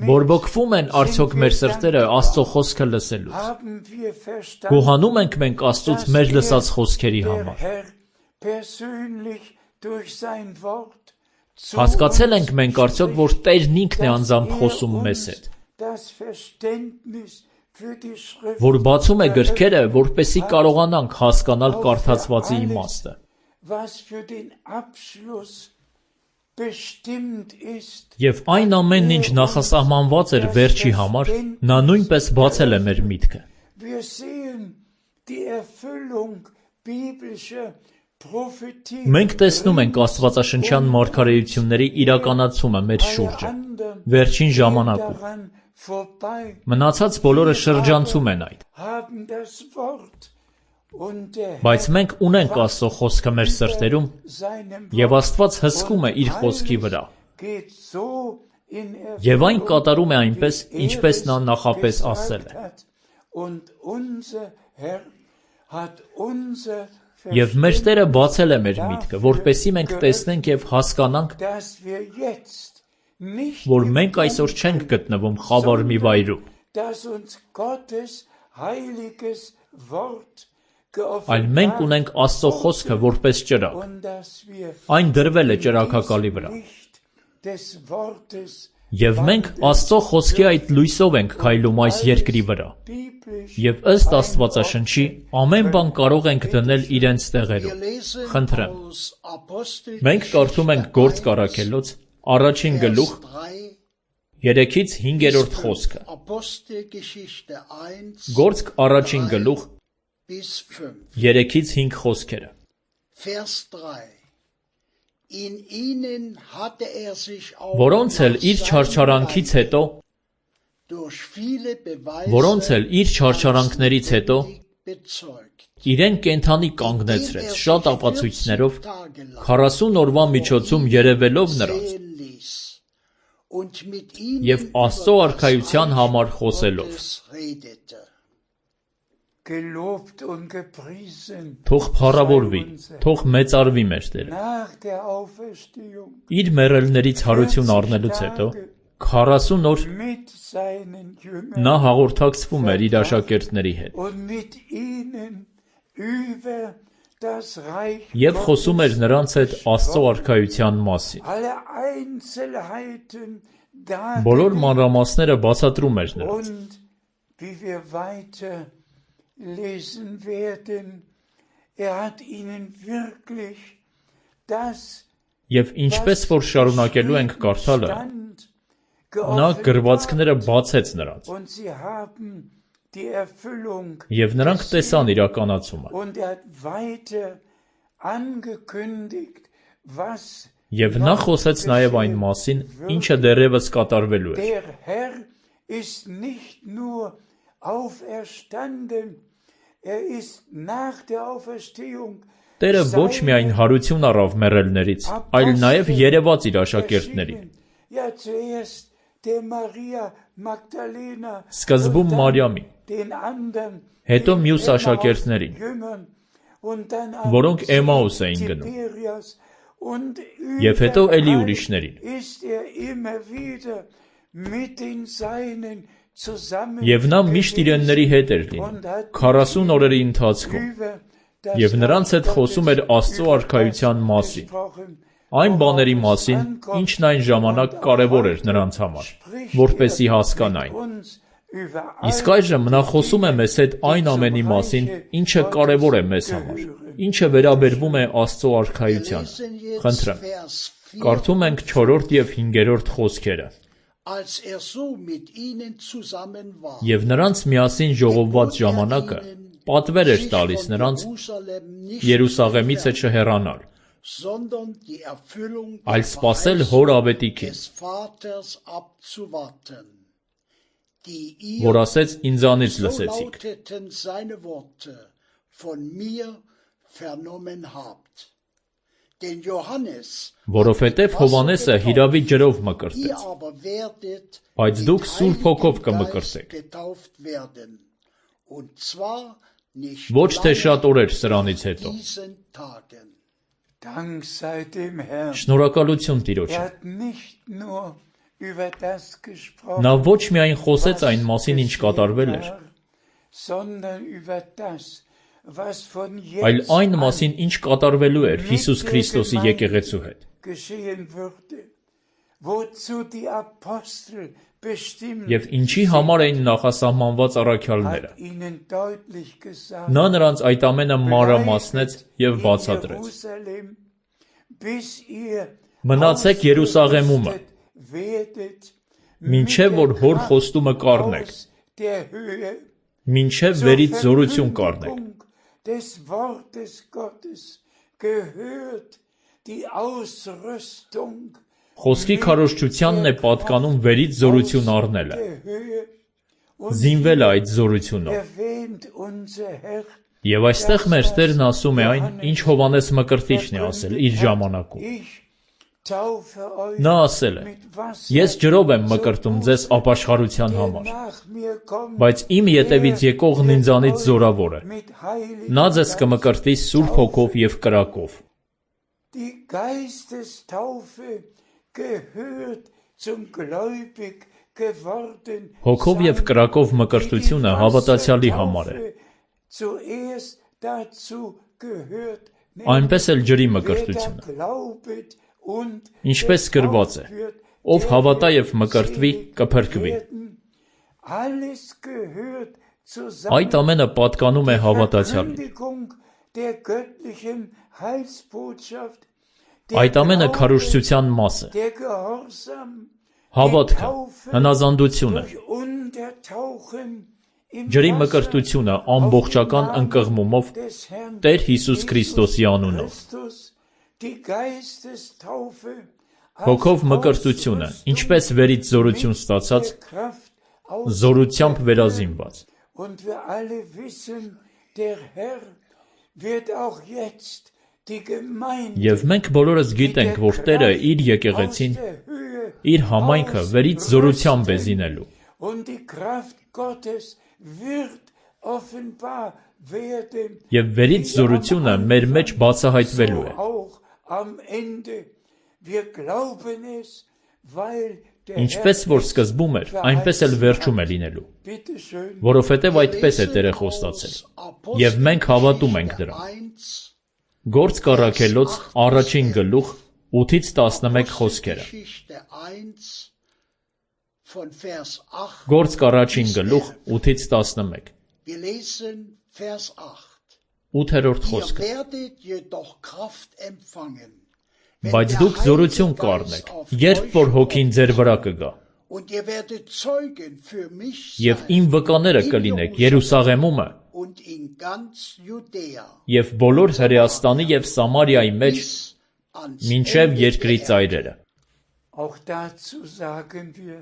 բորբոքվում են արդյոք մեր սրտերը Աստծո խոսքը լսելուց։ Գոհանում ենք մենք Աստծուց մեր լսած խոսքերի համար։ Հասկացել ենք մենք արդյոք, որ Տերն ինքն է անձամբ խոսում մեզ հետ, որ բացում է գրքերը, որպեսզի կարողանանք հասկանալ կարդացվածի իմաստը։ Եվ այն ամենն, ինչ նախասահմանված էր վերջի համար, նա նույնպես բացել է մեր միտքը։ Մենք տեսնում ենք աստվածաշնչյան մարգարեությունների իրականացումը մեր շուրջը, վերջին ժամանակում։ Մնացած բոլորը շրջանցում են այդ։ Բայց մենք ունենք Աստծո խոսքը մեր սրտերում, և Աստված հսկում է իր խոսքի վրա։ Եվ այն կատարում է այնպես, ինչպես նա նախապես ասել է։ Եվ մեր Տերը բացել է մեր միտքը, որպեսզի մենք տեսնենք և հասկանանք, որ մենք այսօր չենք գտնվում խավար մի վայրում, այլ մենք ունենք Աստծո խոսքը որպես ճրագ։ Այն դրվել է ճրագակալի վրա։ Եվ մենք Աստծո խոսքի այդ լույսով ենք քայլում այս երկրի վրա։ Եվ ըստ Աստվածաշնչի ամեն բան կարող ենք դնել իրենց տեղերում։ Խնդրեմ։ Մենք կարդում ենք Գործք առաքելոց, առաջին գլուխ, 3-5 խոսքը։ Գործք առաջին գլուխ, 3-5 խոսքերը։ Որոնց էլ իր չարչարանքներից հետո իրեն կենդանի կանգնեցրեց շատ ապացույցներով, 40 օրվա միջոցում երևելով նրանց և Աստծո արքայության համար խոսելով։ gelobt und gepriesen. Թող փառավորվի, թող մեծարվի մեր Տերը։ Nach der Auferstehung Իր մեռելներից հարություն առնելուց հետո 40 օր mit seinen Jüngern նա հաղորդակցվում էր իր աշակերտների հետ und mit ihnen über das Reich եւ խոսում էր նրանց հետ Աստծո արքայության մասին։ alle Einzelheiten Բոլոր dargelegt. մանրամասները բացատրում էր նրանց։ Und wie wir weiter lesen werden, hat ihnen wirklich das Եվ ինչպես որ շարունակելու ենք կարդալը, նա գրվածքները բացեց նրանց und sie haben die Erfüllung եւ նրանք տեսան իրականացումը und hat weiter angekündigt, was եւ նա խոսեց նաեւ այն մասին, ինչը դեռևս կատարվելու էր։ der Herr ist nicht nur auferstanden, ist nach der Auferstehung Տերը ոչ միայն հարություն առավ մեռելներից, այլ նաեւ երևաց իր աշակերտներին։ Ja, zuerst der Maria Magdalena, Սկզբում Մարիամին, den anderen հետո մյուս աշակերտներին, Jüngern und dann որոնք Էմաուս էին գնում, Tiberias und եւ հետո էլի überall ուրիշներին։ ist immer wieder mit den Seinen zusammen Եվ նա միշտ իրենների հետ էր լինում 40 օրերի ընթացքում եւ նրանց հետ խոսում էր Աստծո արքայության մասին, այն բաների մասին, ինչն այն ժամանակ կարևոր էր նրանց համար, որպեսզի հասկանային։ Իսկ այժմ նա խոսում է մեզ հետ այն ամենի մասին, ինչը կարևոր է մեզ համար, ինչը վերաբերվում է Աստծո արքայությանը։ Խնդրեմ, կարդում ենք 4-րդ եւ 5-րդ խոսքերը։ Als so mit ihnen zusammen war, Եվ նրանց միասին ժողովված ժամանակը պատվեր էր տալիս նրանց Երուսաղեմից չհեռանալ, sondern die Erfüllung այլ սպասել հոր ավետիքին, des Vaters abzuwarten, die ihr, որ ասեց ինձանից so լսեցիք։ lauteten seine Worte, von mir vernommen habt. Den Johannes, Որովհետև Հովհաննեսը հիրավի ջրով ihr մկրտեց, aber werdet բայց mit դուք Սուրբ Հոգով Heiligem Geist կմկրտեք։ getauft werden, und zwar nicht Ոչ թե lange շատ օրեր սրանից հետո։ diesen Tagen. Dank sei dem Herrn. Շնորհակալություն Տիրոջը։ hat nicht nur über das gesprochen, Նա ոչ միայն խոսեց այն մասին, ինչ կատարվել էր, sondern über das, was von այլ jetzt այն an մասին, ինչ կատարվելու էր Հիսուս Քրիստոսի եկեղեցու հետ, geschehen würde, wozu die Apostel bestimmt եւ ինչի համար էին նախասահմանված առաքյալները։ hat ihnen deutlich gesagt, Նա նրանց այդ ամենը մանրամասնեց եւ բացատրեց։ Jerusalem, bis ihr Մնացեք Երուսաղեմում, ausgerüstet werdet, մինչև որ հոր խոստումը կառնեք, aus der Höhe մինչև zur վերից զորություն կառնեք։ Verkündigung des Wortes Gottes gehört die Ausrüstung Խոսքի քարոզչությանն է պատկանում վերից զորություն առնելը, der Höhe und զինվելը այդ զորությունով։ erwähnt unser Herr, Եվ այստեղ մեր Տերն ասում է այն, ինչ Հովհաննես Մկրտիչն է ասել իր ժամանակում։ ich taufe euch Նա ասել է. mit Wasser, Ես ջրով եմ մկրտում ձեզ ապաշխարության համար, nach mir kommt բայց իմ ետևից եկողն ինձանից զորավոր է։ mit Heiligem Նա ձեզ կմկրտի Սուրբ Հոգով եւ կրակով։ Die Geistestaufe gehört zum gläubig geworden. Հոգով եւ կրակով մկրտությունը հավատացյալի համար է, Zuerst dazu gehört, այնպես էլ ջրի wer da մկրտությունը։ glaubet und Ինչպես գրված է. wird, Ով հավատա եւ մկրտվի, կփրկվի։ alles gehört Այդ ամենը պատկանում է հավատացյալին։ Verkündigung der göttlichen Heilsbotschaft, Այդ ամենը քարոզչության մաս է։ der Gehorsam, Հավատքը, հնազանդությունը, durch Untertauchen im ջրի Wasser մկրտությունը ամբողջական ընկղմումով des Herrn Տեր Հիսուս Քրիստոսի անունով։ Christus, die Geistestaufe, Հոգով մկրտությունը, ինչպես վերից զորություն ստացած, der Kraft aus. զորությամբ վերազինված։ Und wir alle wissen, der Herr wird auch jetzt die Gemeinde Եվ մենք բոլորս գիտենք, որ Տերը իր եկեղեցին, իր համայնքը վերից զորությամբ է զինելու։ und die Kraft Gottes wird offenbar werden, Եվ վերից զորությունը մեր մեջ բացահայտվելու է։ auch am Ende. Wir glauben es, weil der Ինչպես որ սկզբում էր, այնպես էլ վերջում է լինելու, Bitte schön, որովհետև այդպես է Տերը խոստացել։ Եվ մենք հավատում ենք դրան։ Գործ կառաքելոց առաջին գլուխ 8-ից 11 խոսքերը։ Գործ կառաջին գլուխ 8-ից 11։ Wir lesen Vers 8. 8-րդ Ihr խոսքը։ werdet jedoch Kraft empfangen, Բայց դուք զորություն կառնեք, երբ որ հոգին ձեր վրա կգա, und ihr werdet Zeugen für mich եւ իմ վկաները կլինեք Երուսաղեմումը und in ganz Judäa եւ բոլոր Հրեաստանի եւ Սամարիայի մեջ bis ans մինչեւ Ende երկրի der ծայրերը։ auch dazu sagen wir,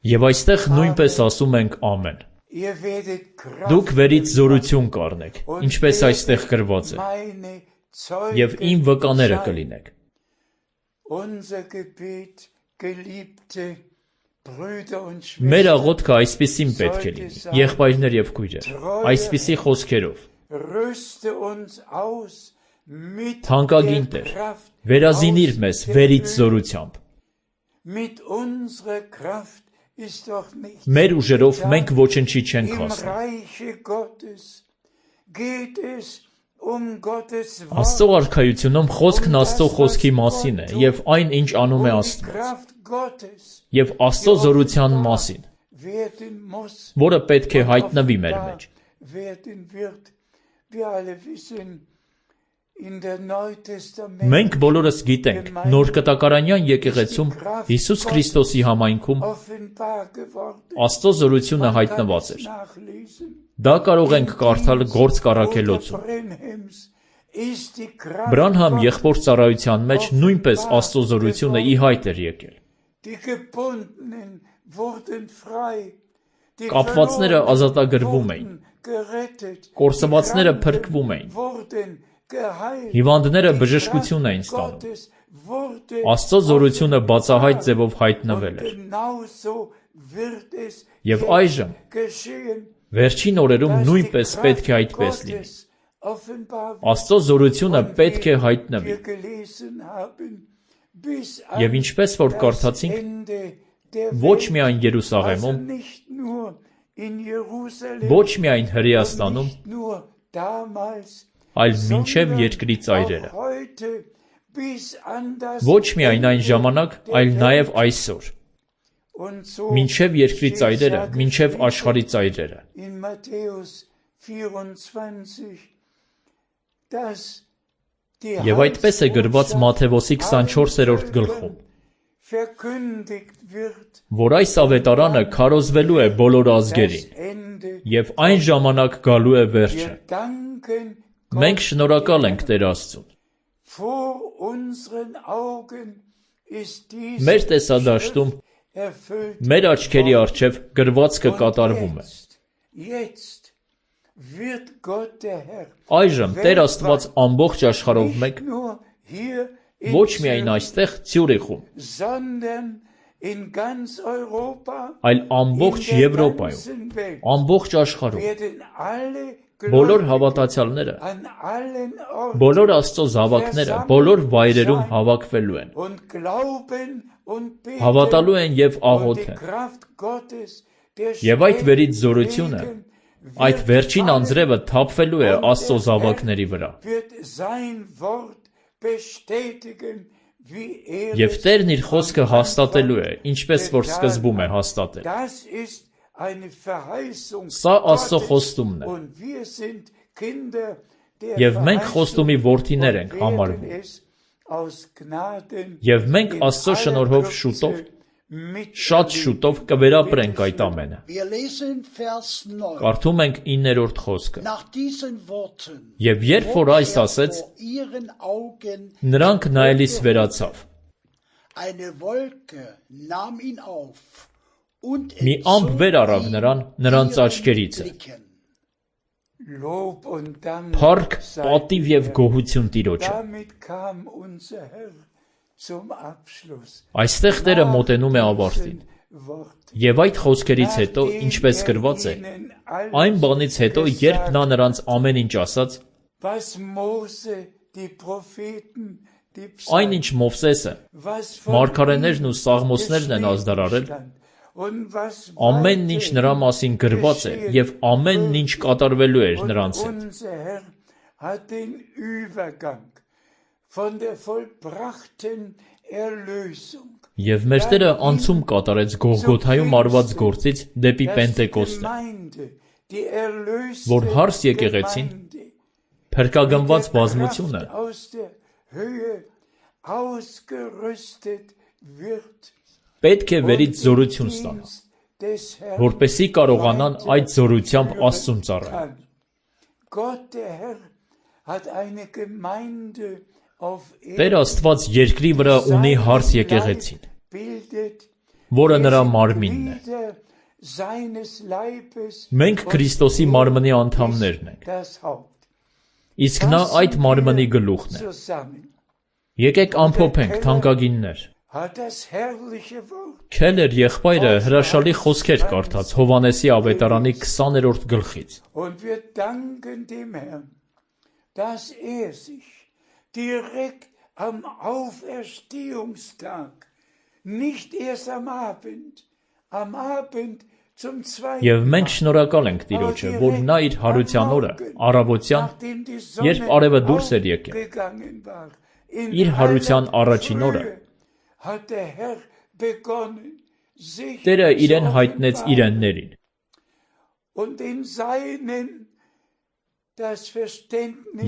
Եվ այստեղ նույնպես ասում ենք ամեն։ ihr werdet Kraft Դուք վերից զորություն կառնեք, und ինչպես այստեղ գրված է, meine եւ իմ Zeugen վկաները sein. կլինեք։ Unser Gebet, geliebte Brüder und Մեր Schwestern, աղոթքը այսպեսին պետք է լինի, եղբայրներ եւ քույրեր, այսպիսի խոսքերով. rüste uns aus mit Թանկագին der Տեր, Kraft, վերազինիր aus մեզ der վերից Höhe. զորությամբ։ Mit unserer Kraft ist doch nicht Մեր ուժերով մենք ոչնչի չենք im հասնի։ Reiche Gottes geht es Gottes Աստծո արքայությունում խոսքն Աստծո խոսքի մասին է եւ այն ինչ անում է Աստված Kraft Gottes եւ Աստծո զորության մասին, werden muss, որը պետք է հայտնվի մեր մեջ։ werden wird. Wir alle wissen, in der Neutestament Մենք բոլորս գիտենք, նոր կտակարանյան եկեղեցում Հիսուս Քրիստոսի համայնքում offenbar geworden. Աստծո զորությունը հայտնված էր։ Nachlesen. Դա կարող ենք կարդալ Գործ կառաքելոցում։ Brenhems ist die Kraft Բրանհամ եղբոր ծառայության մեջ նույնպես Աստծո զորությունը ի հայտ էր եկել։ Die Gebundenen wurden frei. Die Կապվածները Verlorenen ազատագրվում էին, wurden gerettet. կորսվածները Die փրկվում էին, wurden geheilt. հիվանդները Die բժշկություն էին Kraft ստանում։ Gottes wurde Աստծո զորությունը բացահայտ ձևով հայտնվել und էր։ genauso wird es Եվ jetzt այժմ geschehen, վերջին օրերում dass die նույնպես պետք է Kraft այդպես լինի։ Gottes offenbar wird. Աստծո զորությունը Und պետք է wie հայտնվի։ wir gelesen haben, bis Եվ an ինչպես որ das կարդացինք, Ende der ոչ Welt. միայն Also Երուսաղեմում, nicht nur in Jerusalem, ոչ միայն und Հրեաստանում, nicht nur damals, այլ մինչև sondern երկրի ծայրերը։ auch heute bis an das Ոչ միայն այն Ende ժամանակ, der այլ Welt. նաև այսօր, Und so մինչև երկրի steht ծայրերը, ja մինչև geschrieben աշխարհի ծայրերը։ in Matthäus 24, dass die Եվ այդպես է գրված Մատթեոսի 24-րդ գլխում, verkündigt wird, որ այս ավետարանը քարոզվելու է բոլոր das ազգերին, Ende. եւ այն ժամանակ գալու է վերջը։ Wir danken Մենք շնորհակալ ենք Տեր Աստծուն։ vor unseren Augen ist Մեր diese տեսադաշտում, erfüllt. մեր աչքերի առջև գրվածքը կատարվում է։ Jetzt wird Gott der Herr Այժմ Տեր Աստված ամբողջ աշխարհով մեկ, nicht nur hier in ոչ միայն Zürich, այստեղ Ցյուրիխում, sondern in ganz Europa, այլ in ամբողջ der Եվրոպայում, ganzen Welt ամբողջ աշխարհում, werden alle բոլոր Gläubigen հավատացյալները, an allen Orten բոլոր Աստծո զավակները, բոլոր վայրերում հավաքվելու են, und glauben und beten հավատալու են եւ und die աղոթեն։ Kraft Gottes, der Եվ այդ վերից զորությունը, այդ վերջին անձրևը թափվելու է Աստծո զավակների վրա։ wird sein Wort bestätigen, wie Եվ Տերն իր խոսքը հաստատելու է, ինչպես որ սկզբում է հաստատել։ Das ist eine Verheißung Սա Աստծո Gottes. խոստումն է։ Und wir sind Kinder der Եվ մենք Verheißung խոստումի որդիներ ենք und werden համարվում։ es aus Gnaden Եվ մենք in Աստծո aller շնորհով Kürze շուտով, miterleben. շատ շուտով կվերապրենք այդ ամենը։ Wir lesen Vers 9. Կարդում ենք 9-րդ խոսքը։ Nach diesen Worten Եվ երբ որ այս ասեց, vor ihren Augen նրանք նայելիս վերացավ։ eine Wolke nahm ihn auf und Մի ամպ վեր առավ նրան, նրանց աչքերիցը։ Lob und Dank Փառք, sei պատիվ եւ գոհություն Տիրոջը։ Damit kam unser Herr zum Abschluss. Այստեղ Տերը մոտենում է ավարտին։ Եվ այդ խոսքերից հետո, ինչպես գրված է, այն բանից հետո, երբ նա նրանց ամեն ինչ ասաց, այն ինչ Մովսեսը, մարգարեներն ու սաղմոսներն են ազդարարել, ամեն ինչ նրա մասին գրված է և ամեն ինչ կատարվելու էր նրանց հետ։ Եվ մեր Տերը անցում կատարեց Գողգոթայում արված գործից դեպի Պենտեկոստը, որ հարս եկեղեցին, փրկագնված բազմությունը, պետք է վերից զորություն ստանա, որպեսզի կարողանան այդ զորությամբ Աստծուն ծառայել։ Տեր Աստված երկրի վրա ունի հարս եկեղեցին, որը նրա մարմինն է։ Մենք Քրիստոսի մարմնի անդամներն ենք, իսկ նա այդ մարմնի գլուխն է։ Եկեք ամփոփենք, թանկագիններ։ Քելեր եղբայրը հրաշալի խոսքեր կարդաց Հովհաննեսի ավետարանի 20-րդ գլխից։ Direkt am Auferstehungstag, nicht erst am Abend zum zweiten Եվ մենք շնորհակալ ենք Տիրոջը, որ նա իր հարության օրը, առավոտյան, երբ արևը դուրս էր եկել, իր հարության առաջին օրը, Տերը իրեն հայտնեց իրեններին։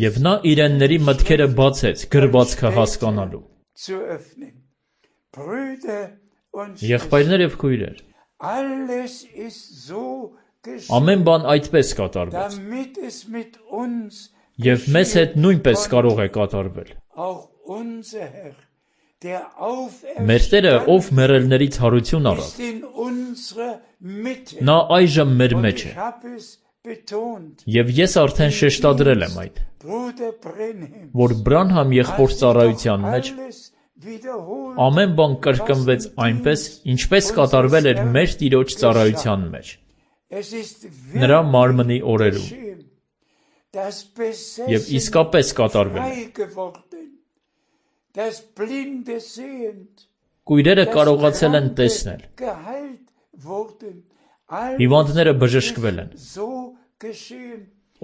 Եվ նա իրենների մտքերը բացեց գրվածքը հասկանալու։ Եղբայրներ և քույրեր, ամեն բան այդպես կատարվեց, և մեզ հետ նույնպես կարող է կատարվել։ Մեր Տերը, ով մեռելներից հարություն առավ, նա այժմ մեր մեջ է։ Եվ ես արդեն շեշտադրել եմ այդ, որ Բրանհամ եղբոր ծառայության մեջ ամեն բան կրկնվեց այնպես, ինչպես կատարվել էր մեր Տիրոջ ծառայության մեջ, նրա մարմնի օրերում, և իսկապես կատարվել է։ Կույրերը կարողացել են տեսնել, հիվանդները բժշկվել են,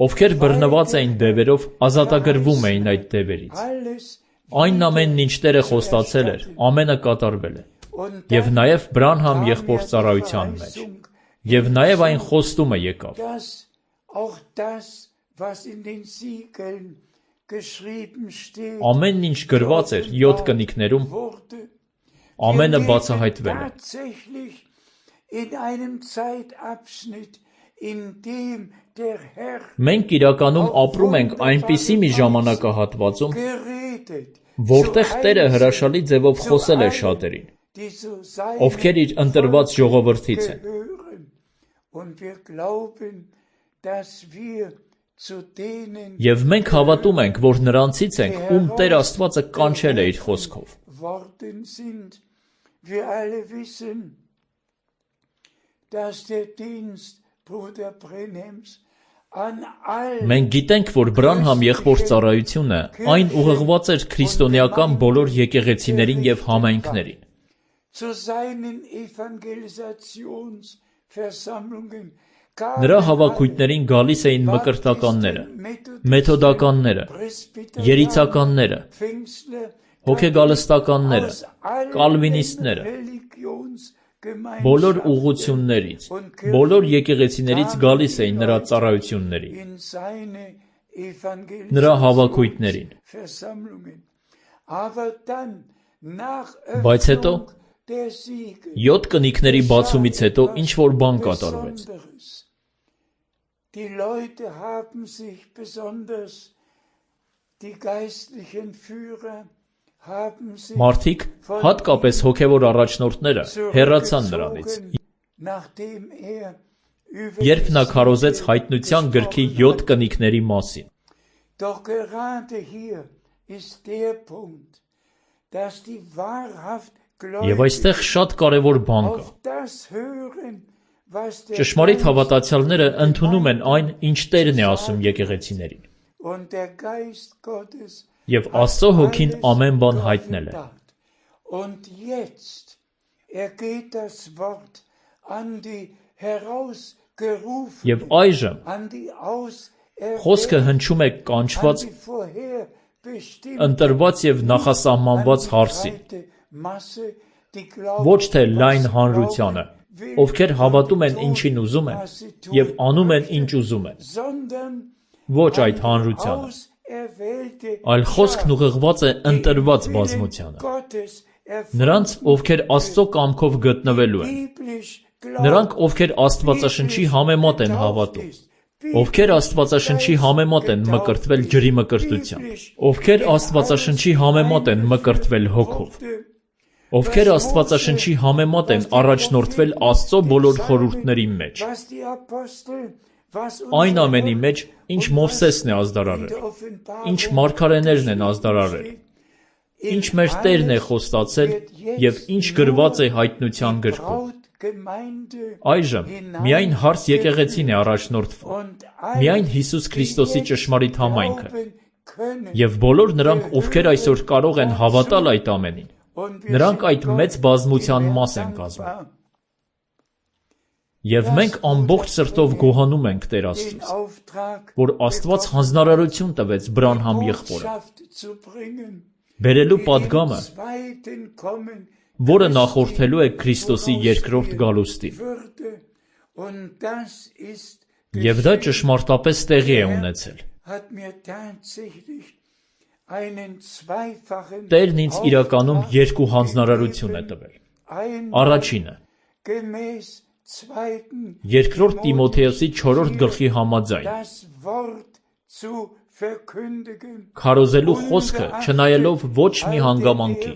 ովքեր բռնված էին դևերով, ազատագրվում էին այդ դևերից։ Այն ամենն ինչ Տերը խոստացել էր, ամենը կատարվել է, և նաև Բրանհամ եղբոր ծառայության մեջ, և նաև այն խոստումը եկավ։ Ամեն ինչ գրված էր 7 կնիկներում, ամենը բացահայտվել է։ Մենք իրականում ապրում ենք այնպիսի մի ժամանակահատվածում, որտեղ Տերը հրաշալի ձևով խոսել է շատերին, ովքեր իր ընտրված ժողովրդից են։ Եվ մենք հավատում ենք, որ նրանցից ենք, ում Տեր Աստվածը կանչել է իր խոսքով։ Մենք գիտենք, որ Բրանհամ եղբոր ծառայությունը այն ուղղված էր քրիստոնեական բոլոր եկեղեցիներին և համայնքներին։ Նրա հավաքույթներին գալիս էին մկրտականները, մեթոդականները, երիցականները, հոգեգալստականները, կալվինիստները, բոլոր ուղղություններից, բոլոր եկեղեցիներից գալիս էին նրա ծառայություններին, նրա հավաքույթներին։ Բայց հետո, 7 կնիկների բացումից հետո ինչ-որ բան կատարվեց։ Մարդիկ, հատկապես հոգևոր առաջնորդները, հեռացան նրանից, երբ նա քարոզեց հայտնության գրքի 7 կնիկների մասին։ Եվ այստեղ շատ կարևոր բան կա։ Ճշմարիտ հավատացյալները ընդունում են այն, ինչ Տերն է ասում եկեղեցիներին։ Եվ Աստծո հոգին ամեն բան հայտնել է։ Եվ այժմ խոսքը հնչում է կանչված, ընտրված եւ նախասահմանված հարսին, ոչ թե լայն հանրությանը, ովքեր հավատում են ինչին ուզում են եւ անում են ինչ ուզում են, ոչ այդ հանրությանը, այլ խոսքն ուղղված է ընտրված բազմությանը, նրանց, ովքեր Աստծո կամքով գտնվելու են, նրանք, ովքեր Աստվածաշնչի համեմատ են հավատում, ովքեր Աստվածաշնչի համեմատ են մկրտվել ջրի մկրտությամբ, ովքեր Աստվածաշնչի համեմատ են մկրտվել հոգով, ովքեր Աստվածաշնչի համեմատ են առաջնորդվել Աստծո բոլոր խորհուրդների մեջ, այն ամենի մեջ, ինչ Մովսեսն է ազդարարել, ինչ մարգարեներն են ազդարարել, ինչ մեր Տերն է խոստացել եւ ինչ գրված է հայտնության գրքում։ Այժմ միայն հարս եկեղեցին է առաջնորդվում, միայն Հիսուս Քրիստոսի ճշմարիտ համայնքը, եւ բոլոր նրանք, ովքեր այսօր կարող են հավատալ այդ ամենին, նրանք այդ մեծ բազմության մաս են կազմում։ Եվ մենք ամբողջ սրտով գոհանում ենք Տեր Աստծուց, որ Աստված հանձնարարություն տվեց Բրանհամ եղբորը, բերելու պատգամը, որը նախորդելու է Քրիստոսի երկրորդ գալուստին։ Եվ դա ճշմարտապես տեղի է ունեցել։ Տերն ինձ իրականում երկու հանձնարարություն է տվել։ Առաջինը՝ Երկրորդ Տիմոթեոսի 4-րդ գլխի համաձայն, քարոզելու խոսքը չնայելով ոչ մի հանգամանքի,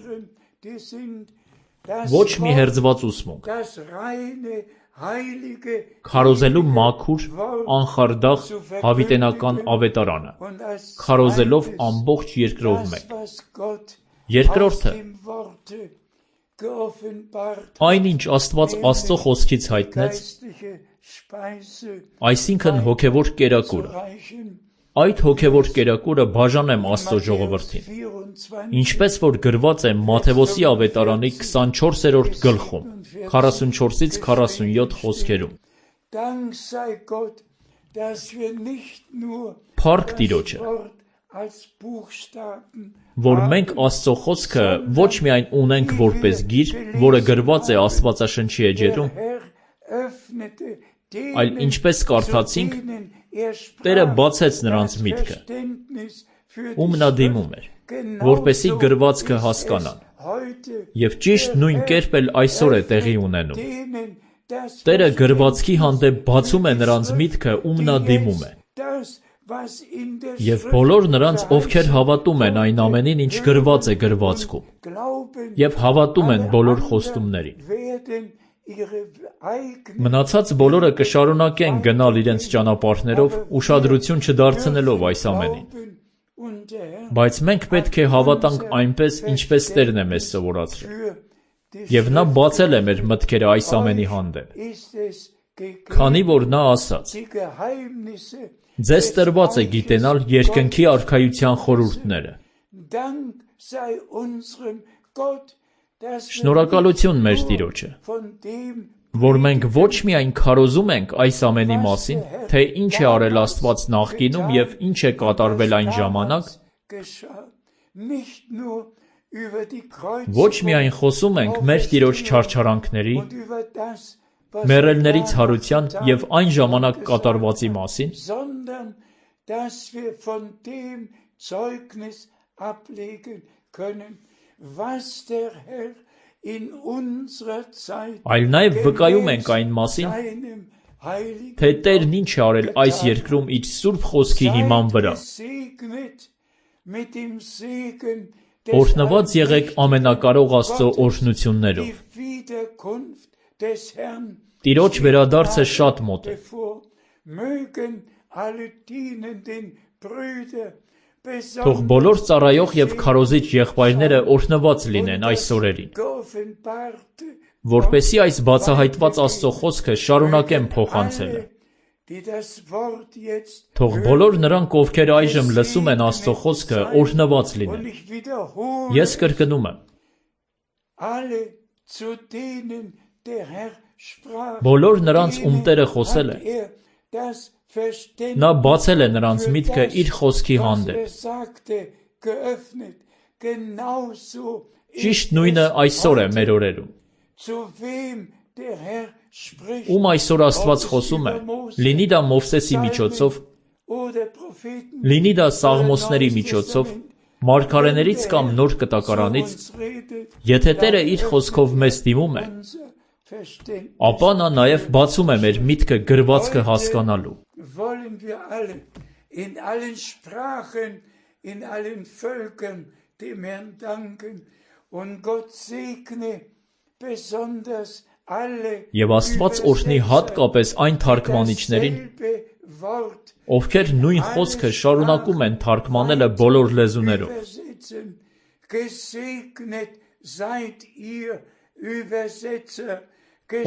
ոչ մի հերձված ուսմունք, քարոզելու մաքուր, անխարդախ հավիտենական ավետարանը, քարոզելով ամբողջ երկրով մեկ։ Երկրորդը՝ այն, ինչ Աստված Աստծո խոսքից հայտնեց, այսինքն հոգևոր կերակուրը։ Այդ հոգևոր կերակուրը բաժանեմ Աստծո ժողովրդին, ինչպես որ գրված է Մատթեոսի ավետարանի 24-րդ գլխում, 44-ից 47 խոսքերում։ Փառք Տիրոջը, որ մենք Աստծո խոսքը ոչ միայն ունենք որպես գիր, որը գրված է Աստվածաշնչի էջերում, այլ ինչպես կարդացինք, Տերը բացեց նրանց միտքը, ում նա դիմում էր, որպեսզի գրվածքը հասկանան, եւ ճիշտ նույն կերպ էլ այսօր է տեղի ունենում։ Տերը գրվածքի հանդեպ բացում է նրանց միտքը, ում նա դիմում է, եւ բոլոր նրանց, ովքեր հավատում են այն ամենին, ինչ գրված է գրվածքում, եւ հավատում են բոլոր խոստումներին։ Մնացած բոլորը կշարունակեն գնալ իրենց ճանապարհներով, ուշադրություն չդարձնելով այս ամենին։ Բայց մենք պետք է հավատանք այնպես, ինչպես Տերն է մեզ սովորացրել, եւ նա բացել է մեր մտքերը այս ամենի հանդեպ, քանի որ նա ասաց. «Ձեզ տրված է գիտենալ երկնքի արքայության խորհուրդները»։ Շնորհակալություն մեր Տիրոջը, որ մենք ոչ միայն քարոզում ենք այս ամենի մասին, թե ինչ է արել Աստված նախկինում եւ ինչ է կատարվել այն ժամանակ, ոչ միայն խոսում ենք մեր Տիրոջ չարչարանքների, մեռելների ցարության եւ այն ժամանակ կատարվածի մասին, այլ նաեւ վկայում ենք այն մասին, թե Տերն ինչ է արել այս երկրում իր սուրբ խոսքի հիման վրա։ Օրհնված եղեք ամենակարող Աստծո օրհնություններով։ Տիրոջ վերադարձը շատ մոտ է։ Թող բոլոր ծառայող և քարոզիչ եղբայրները օրհնված լինեն այս օրերին, որպեսզի այս բացահայտված Աստծո խոսքը շարունակեն փոխանցելը։ Թող բոլոր նրանք, ովքեր այժմ լսում են Աստծո խոսքը, օրհնված լինեն։ Ես կրկնում եմ. բոլոր նրանց, ում Տերը խոսել է, նա բացել է նրանց միտքը իր խոսքի հանդեպ։ Ճիշտ նույնը այսօր է մեր օրերում։ Ում այսօր Աստված խոսում է, լինի դա Մովսեսի միջոցով, լինի դա Սաղմոսների միջոցով, մարգարեներից կամ նոր կտակարանից, եթե Տերը իր խոսքով մեզ դիմում է, ապա նա նաև բացում է մեր միտքը գրվածքը հասկանալու։ Եվ Աստված օրհնի հատկապես այն թարգմանիչներին, ովքեր նույն խոսքը շարունակում են թարգմանելը բոլոր լեզուներով։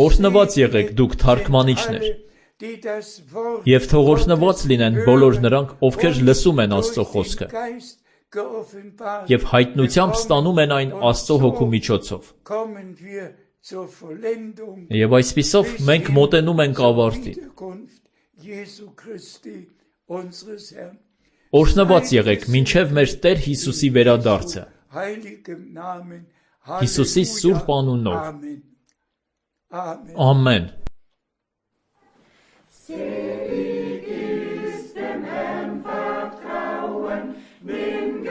Օրհնված եղեք դուք թարգմանիչներ, և թող օրհնված լինեն բոլոր նրանք, ովքեր լսում են Աստծո խոսքը և հայտնությամբ ստանում են այն Աստծո Հոգու միջոցով։ Եվ այսպիսով մենք մոտենում ենք ավարտին։ Օրհնված եղեք մինչև մեր Տեր Հիսուսի վերադարձը, Հիսուսի սուրբ անունով։ Ամեն։ Selig ist dem Herrn vertrauen, dem